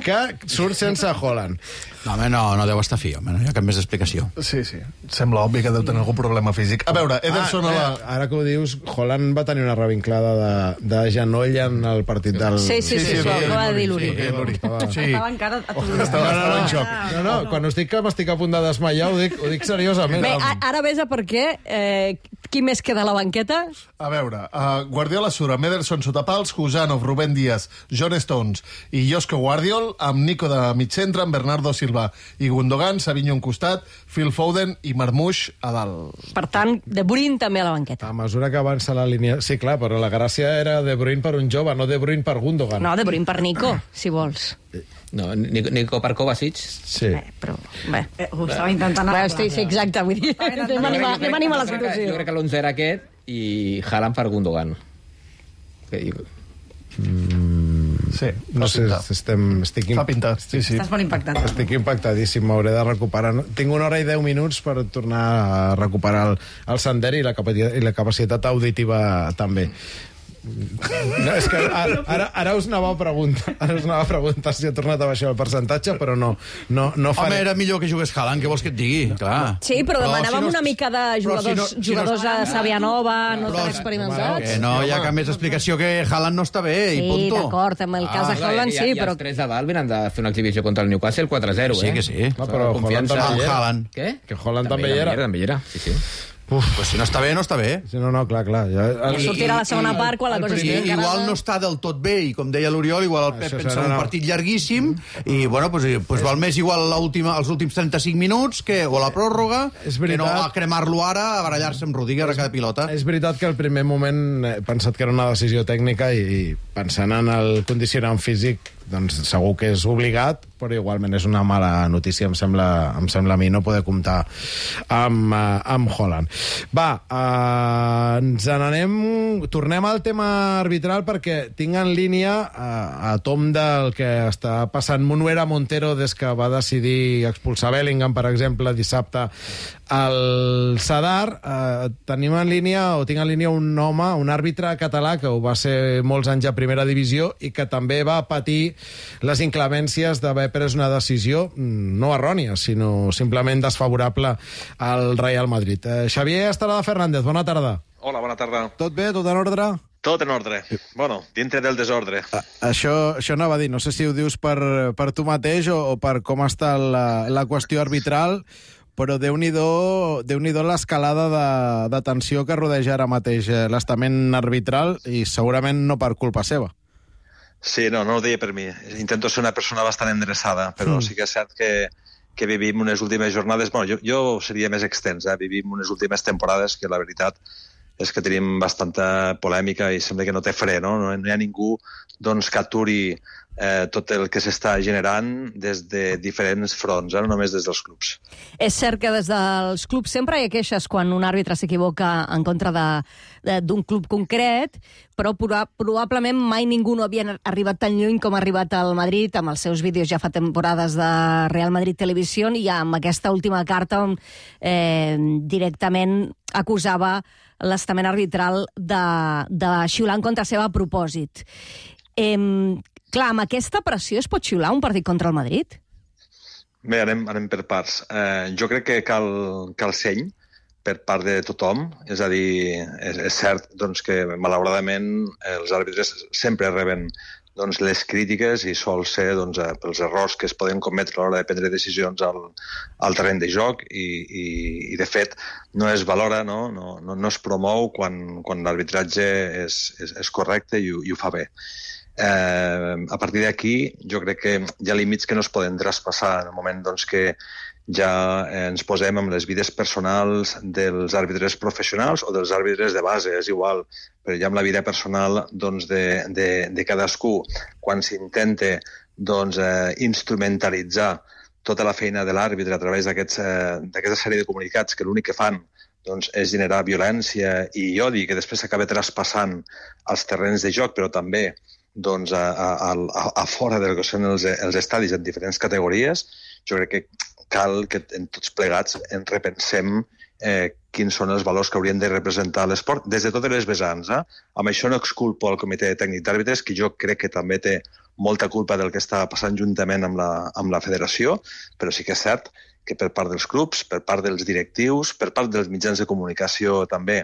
que surt sense Haaland. No, home, no, no deu estar fi, home, no hi ha cap més explicació. Sí, sí, sembla obvi que deu tenir algun problema físic. A veure, Ederson... Ah, a la... Ara que ho dius, Haaland va tenir una revinclada de, de genoll en el partit del... Sí, sí, sí, sí, això ho va dir l'Uri. Estava encara a tot. Estava en xoc. No, no, quan us dic que m'estic a punt de desmaiar, ho dic, ho dic seriosament. Bé, ara ves a per què. Eh, qui més queda a la banqueta? A veure, uh, Guardiola surt amb Ederson sota pals, Husanov, Rubén Díaz, John Stones i Josko Guardiol, amb Nico de mig centre, amb Bernardo Silva i Gundogan, Savinho un costat, Phil Foden i Marmoush a dalt. Per tant, De Bruyne també a la banqueta. A mesura que avança la línia... Sí, clar, però la gràcia era De Bruyne per un jove, no De Bruyne per Gundogan. No, De Bruyne per Nico, si vols. No, Nico, Nico per Kovacic. Sí. Bé, però... Bé. Eh, ho estava intentant... Bé, estic, sí, exacte, vull dir... Anem a animar, anem a animar la situació. Jo crec que l'onze era aquest i Haaland per Gundogan. Mm, sí, no sé, estem, estic... Fa pintar, sí, sí. Estàs molt impactat. Estic impactadíssim, m'hauré de recuperar. Tinc una hora i deu minuts per tornar a recuperar el, el sender i la, capacitat, i la capacitat auditiva també. No, és que ara, ara, ara us anava a preguntar ara us anava a preguntar si ha tornat a baixar el percentatge, però no, no, no faré... Home, era millor que jugués Haaland, què vols que et digui? Clar. Sí, però, però demanàvem si no... una mica de jugadors, si no, si jugadors no... a Sàvia Nova, no però, tan experimentats. Que no hi ha cap més explicació que Haaland no està bé, sí, i punto. Sí, d'acord, en el cas ah, de Haaland sí, i, però... I els tres de dalt venen de fer una exhibició contra el Newcastle quatre a zero, eh? Sí que sí. No, però Haaland també hi era. Què? Que Haaland també hi era. També hi era, sí, sí. Uf, pues si no està bé, no està bé. Sí, no, no, clar, clar. Ja... I, sortirà la segona part quan la cosa estigui encarada. Igual no està del tot bé, i com deia l'Oriol, igual el Pep pensa en un partit llarguíssim, i bueno, pues, pues val més igual els últims trenta-cinc minuts que, o la pròrroga, que no a cremar-lo ara, a barallar-se amb Rudiger a cada pilota. És veritat que al primer moment he pensat que era una decisió tècnica i, i pensant en el condicionant físic, doncs segur que és obligat, però igualment és una mala notícia, em sembla, em sembla a mi, no poder comptar amb, uh, amb Haaland. Va, uh, ens n'anem... Tornem al tema arbitral perquè tinc en línia uh, a tom del que està passant Munuera Montero des que va decidir expulsar Bellingham, per exemple, dissabte al Sadar. Uh, tenim en línia, o tinc en línia un home, un àrbitre català que ho va ser molts anys a primera divisió i que també va patir les inclemències d'haver pres una decisió no errònia, sinó simplement desfavorable al Real Madrid. Eh, Xavier Estarada Fernández, bona tarda. Hola, bona tarda. Tot bé? Tot en ordre? Tot en ordre. Bueno, dintre del desordre. A, això, això anava a dir, no sé si ho dius per, per tu mateix o, o per com està la, la qüestió arbitral, però Déu-n'hi-do Déu-n'hi-do l'escalada de, de tensió que rodeja ara mateix l'estament arbitral i segurament no per culpa seva. Sí, no, no ho deia per mi. Intento ser una persona bastant endreçada, però mm. sí que és cert que, que vivim unes últimes jornades... Bueno, jo, jo seria més extens, eh? Vivim unes últimes temporades que la veritat és que tenim bastanta polèmica i sembla que no té fre, no? No hi ha ningú doncs, que aturi eh, tot el que s'està generant des de diferents fronts, eh? No només des dels clubs. És cert que des dels clubs sempre hi ha queixes quan un àrbitre s'equivoca en contra d'un club concret, però probablement mai ningú no havia arribat tan lluny com ha arribat al Madrid, amb els seus vídeos ja fa temporades de Real Madrid Televisió i amb aquesta última carta on eh, directament acusava l'estament arbitral de, de xiular en contra seva a propòsit. Eh, clar, amb aquesta pressió es pot xiular un partit contra el Madrid? Bé, anem, anem per parts. Eh, jo crec que cal, cal seny per part de tothom, és a dir, és, és cert doncs, que malauradament els àrbitres sempre reben doncs, les crítiques i sol ser doncs, pels errors que es poden cometre a l'hora de prendre decisions al, al terreny de joc i, i, i de fet no es valora, no, no, no, no es promou quan, quan l'arbitratge és, és, és correcte i, i ho fa bé. Eh, a partir d'aquí jo crec que hi ha límits que no es poden traspassar en el moment doncs, que ja ens posem amb les vides personals dels àrbitres professionals o dels àrbitres de base, és igual, però ja amb la vida personal doncs, de, de, de cadascú, quan s'intenta doncs, eh, instrumentalitzar tota la feina de l'àrbitre a través d'aquesta eh, sèrie de comunicats que l'únic que fan doncs, és generar violència i odi, que després s'acaba traspassant als terrenys de joc, però també doncs, a, a, a, a fora del que són els, els estadis en diferents categories. Jo crec que cal que en tots plegats en repensem eh, quins són els valors que haurien de representar l'esport des de totes les vessants. Eh? Amb això no exculpo el comitè tècnic d'àrbitres, que jo crec que també té molta culpa del que està passant juntament amb la, amb la federació, però sí que és cert que per part dels clubs, per part dels directius, per part dels mitjans de comunicació també,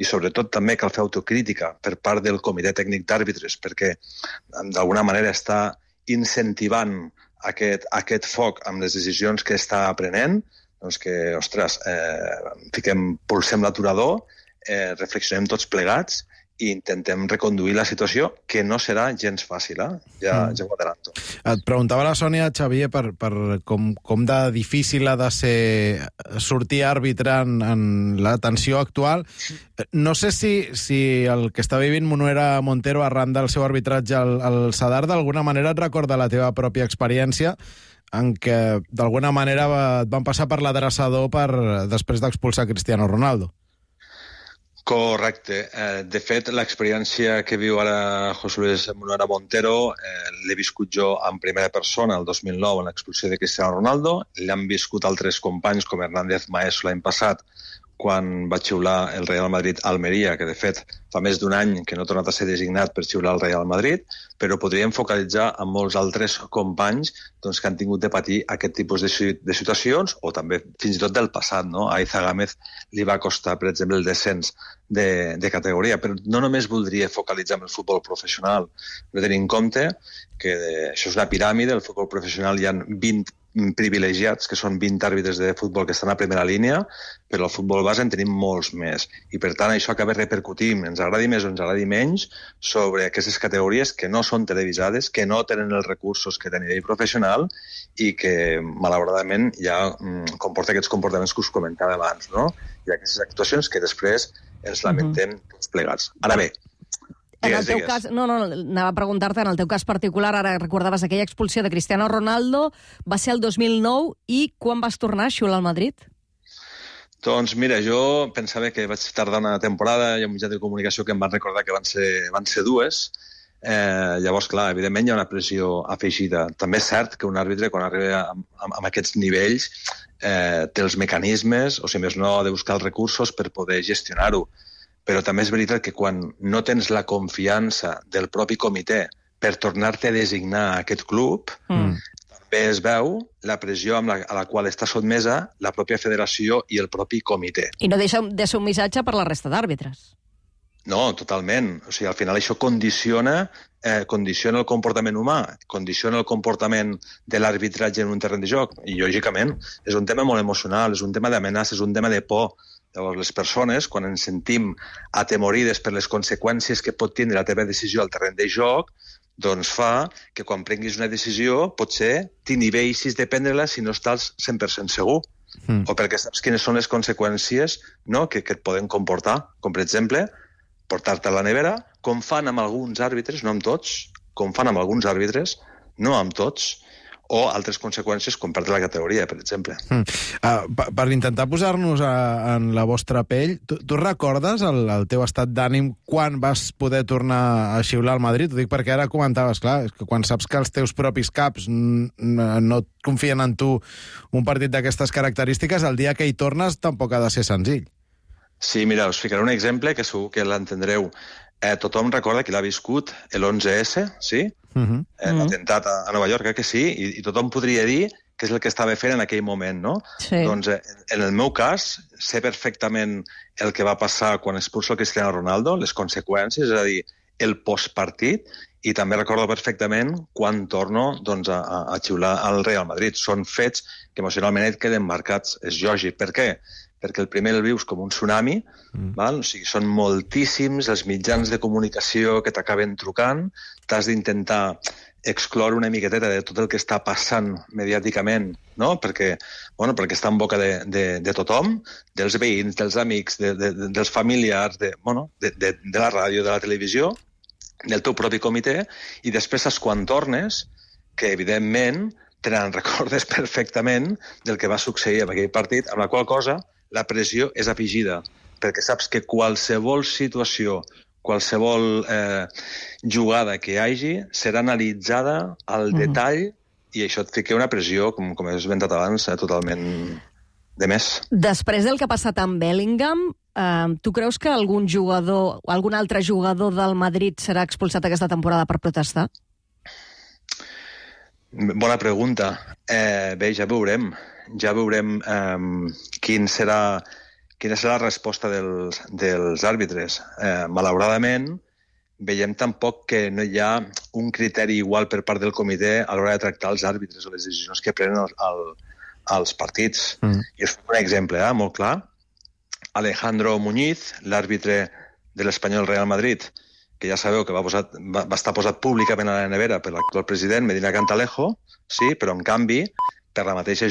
i sobretot també cal fer autocrítica per part del comitè tècnic d'àrbitres, perquè d'alguna manera està incentivant aquest, aquest foc amb les decisions que està prenent, doncs que, ostres, eh, fiquem, pulsem l'aturador, eh, reflexionem tots plegats i intentem reconduir la situació, que no serà gens fàcil, eh? Ja, mm. ja ho adelanto. Et preguntava la Sònia, Xavier, per, per com, com de difícil ha de ser sortir àrbitre en, en la tensió actual. No sé si, si el que està vivint Monuera Montero arran del seu arbitratge al, al Sadar d'alguna manera et recorda la teva pròpia experiència en què d'alguna manera et van passar per l'adreçador per, després d'expulsar Cristiano Ronaldo. Correcte. Eh, de fet, l'experiència que viu ara José Luis Monuera Montero eh, l'he viscut jo en primera persona el dos mil nou en l'expulsió de Cristiano Ronaldo. L'han viscut altres companys com Hernández Maeso l'any passat quan va xiular el Real Madrid-Almeria, que de fet fa més d'un any que no ha tornat a ser designat per xiular el Real Madrid, però podríem focalitzar en molts altres companys doncs, que han tingut de patir aquest tipus de, de situacions, o també fins i tot del passat. No? A Aiza Gámez li va costar, per exemple, el descens de, de categoria, però no només voldria focalitzar en el futbol professional, però tenir en compte que de, això és una piràmide, el futbol professional hi ha vint privilegiats, que són vint àrbitres de futbol que estan a primera línia, però al futbol base en tenim molts més. I per tant això acaba repercutint, ens agradi més o ens agradi menys, sobre aquestes categories que no són televisades, que no tenen els recursos que té a nivell professional i que malauradament ja mm, comporta aquests comportaments que us comentava abans, no? I aquestes actuacions que després ens lamentem uh-huh. tots plegats. Ara bé, en el teu cas, no, no, anava a preguntar-te, en el teu cas particular, ara recordaves aquella expulsió de Cristiano Ronaldo, va ser el dos mil nou, i quan vas tornar a xiular al Madrid? Doncs mira, jo pensava que vaig tardar una temporada, hi ha un mitjà de comunicació que em van recordar que van ser, van ser dues, eh, llavors, clar, evidentment hi ha una pressió afegida. També és cert que un àrbitre, quan arriba amb, amb, amb aquests nivells, eh, té els mecanismes, o si més no, ha de buscar els recursos per poder gestionar-ho. Però també és veritat que quan no tens la confiança del propi comitè per tornar-te a designar a aquest club, mm. també es veu la pressió amb la, a la qual està sotmesa la pròpia federació i el propi comitè. I no deixa de ser un missatge per la resta d'àrbitres. No, totalment. O sigui, al final això condiciona, eh, condiciona el comportament humà, condiciona el comportament de l'arbitratge en un terreny de joc. I, lògicament, és un tema molt emocional, és un tema d'amenaça, és un tema de por. Llavors, les persones, quan ens sentim atemorides per les conseqüències que pot tindre la teva decisió al terreny de joc, doncs fa que quan prenguis una decisió potser t'inhibeixis de prendre-la si no estàs cent per cent segur. Mm. O perquè saps quines són les conseqüències, no?, que, que et poden comportar. Com, per exemple, portar-te a la nevera, com fan amb alguns àrbitres, no amb tots, com fan amb alguns àrbitres, no amb tots, o altres conseqüències com perdre la categoria, per exemple. Mm. Uh, per, per intentar posar-nos a, en la vostra pell, tu, tu recordes el, el teu estat d'ànim quan vas poder tornar a xiular al Madrid? Ho dic perquè ara comentaves, clar, és que quan saps que els teus propis caps no et confien en tu un partit d'aquestes característiques, el dia que hi tornes tampoc ha de ser senzill. Sí, mira, us ficaré un exemple que segur que l'entendreu. Eh, tothom recorda que l'ha viscut l'onze esse, sí? Uh-huh. eh, l'atemptat a, a Nova York, eh, que sí, i, i tothom podria dir que és el que estava fent en aquell moment, no? Sí. Doncs eh, en el meu cas, sé perfectament el que va passar quan expulso el Cristiano Ronaldo, les conseqüències, és a dir, el postpartit, i també recordo perfectament quan torno doncs, a, a xiular al Real Madrid. Són fets que emocionalment et queden marcats. És lògic. Per què? Perquè el primer el vius com un tsunami, mm. val? O sigui, són moltíssims els mitjans de comunicació que t'acaben trucant, t'has d'intentar excloure una miqueteta de tot el que està passant mediàticament, no? Perquè, bueno, perquè està en boca de, de, de tothom, dels veïns, dels amics, de, de, de, dels familiars, de, bueno, de, de, de la ràdio, de la televisió, del teu propi comitè, i després saps quan tornes, que evidentment te n'en recordes perfectament del que va succeir en aquell partit, amb la qual cosa la pressió és afegida, perquè saps que qualsevol situació, qualsevol eh, jugada que hi hagi serà analitzada al mm. detall i això et fica una pressió, com, com he esmentat abans, eh, totalment de més. Després del que ha passat amb Bellingham, eh, tu creus que algun jugador o algun altre jugador del Madrid serà expulsat aquesta temporada per protestar? Bona pregunta. Eh, bé, ja veurem. Ja veurem eh, quin serà... Quina serà la resposta dels, dels àrbitres? Eh, malauradament, veiem tampoc que no hi ha un criteri igual per part del comitè a l'hora de tractar els àrbitres o les decisions que prenen el, el, els partits. Mm. I és un exemple eh, molt clar. Alejandro Muñiz, l'àrbitre de l'Espanyol Real Madrid, que ja sabeu que va, posar, va, va estar posat públicament a la nevera per l'actual president, Medina Cantalejo, sí, però en canvi, per la mateixa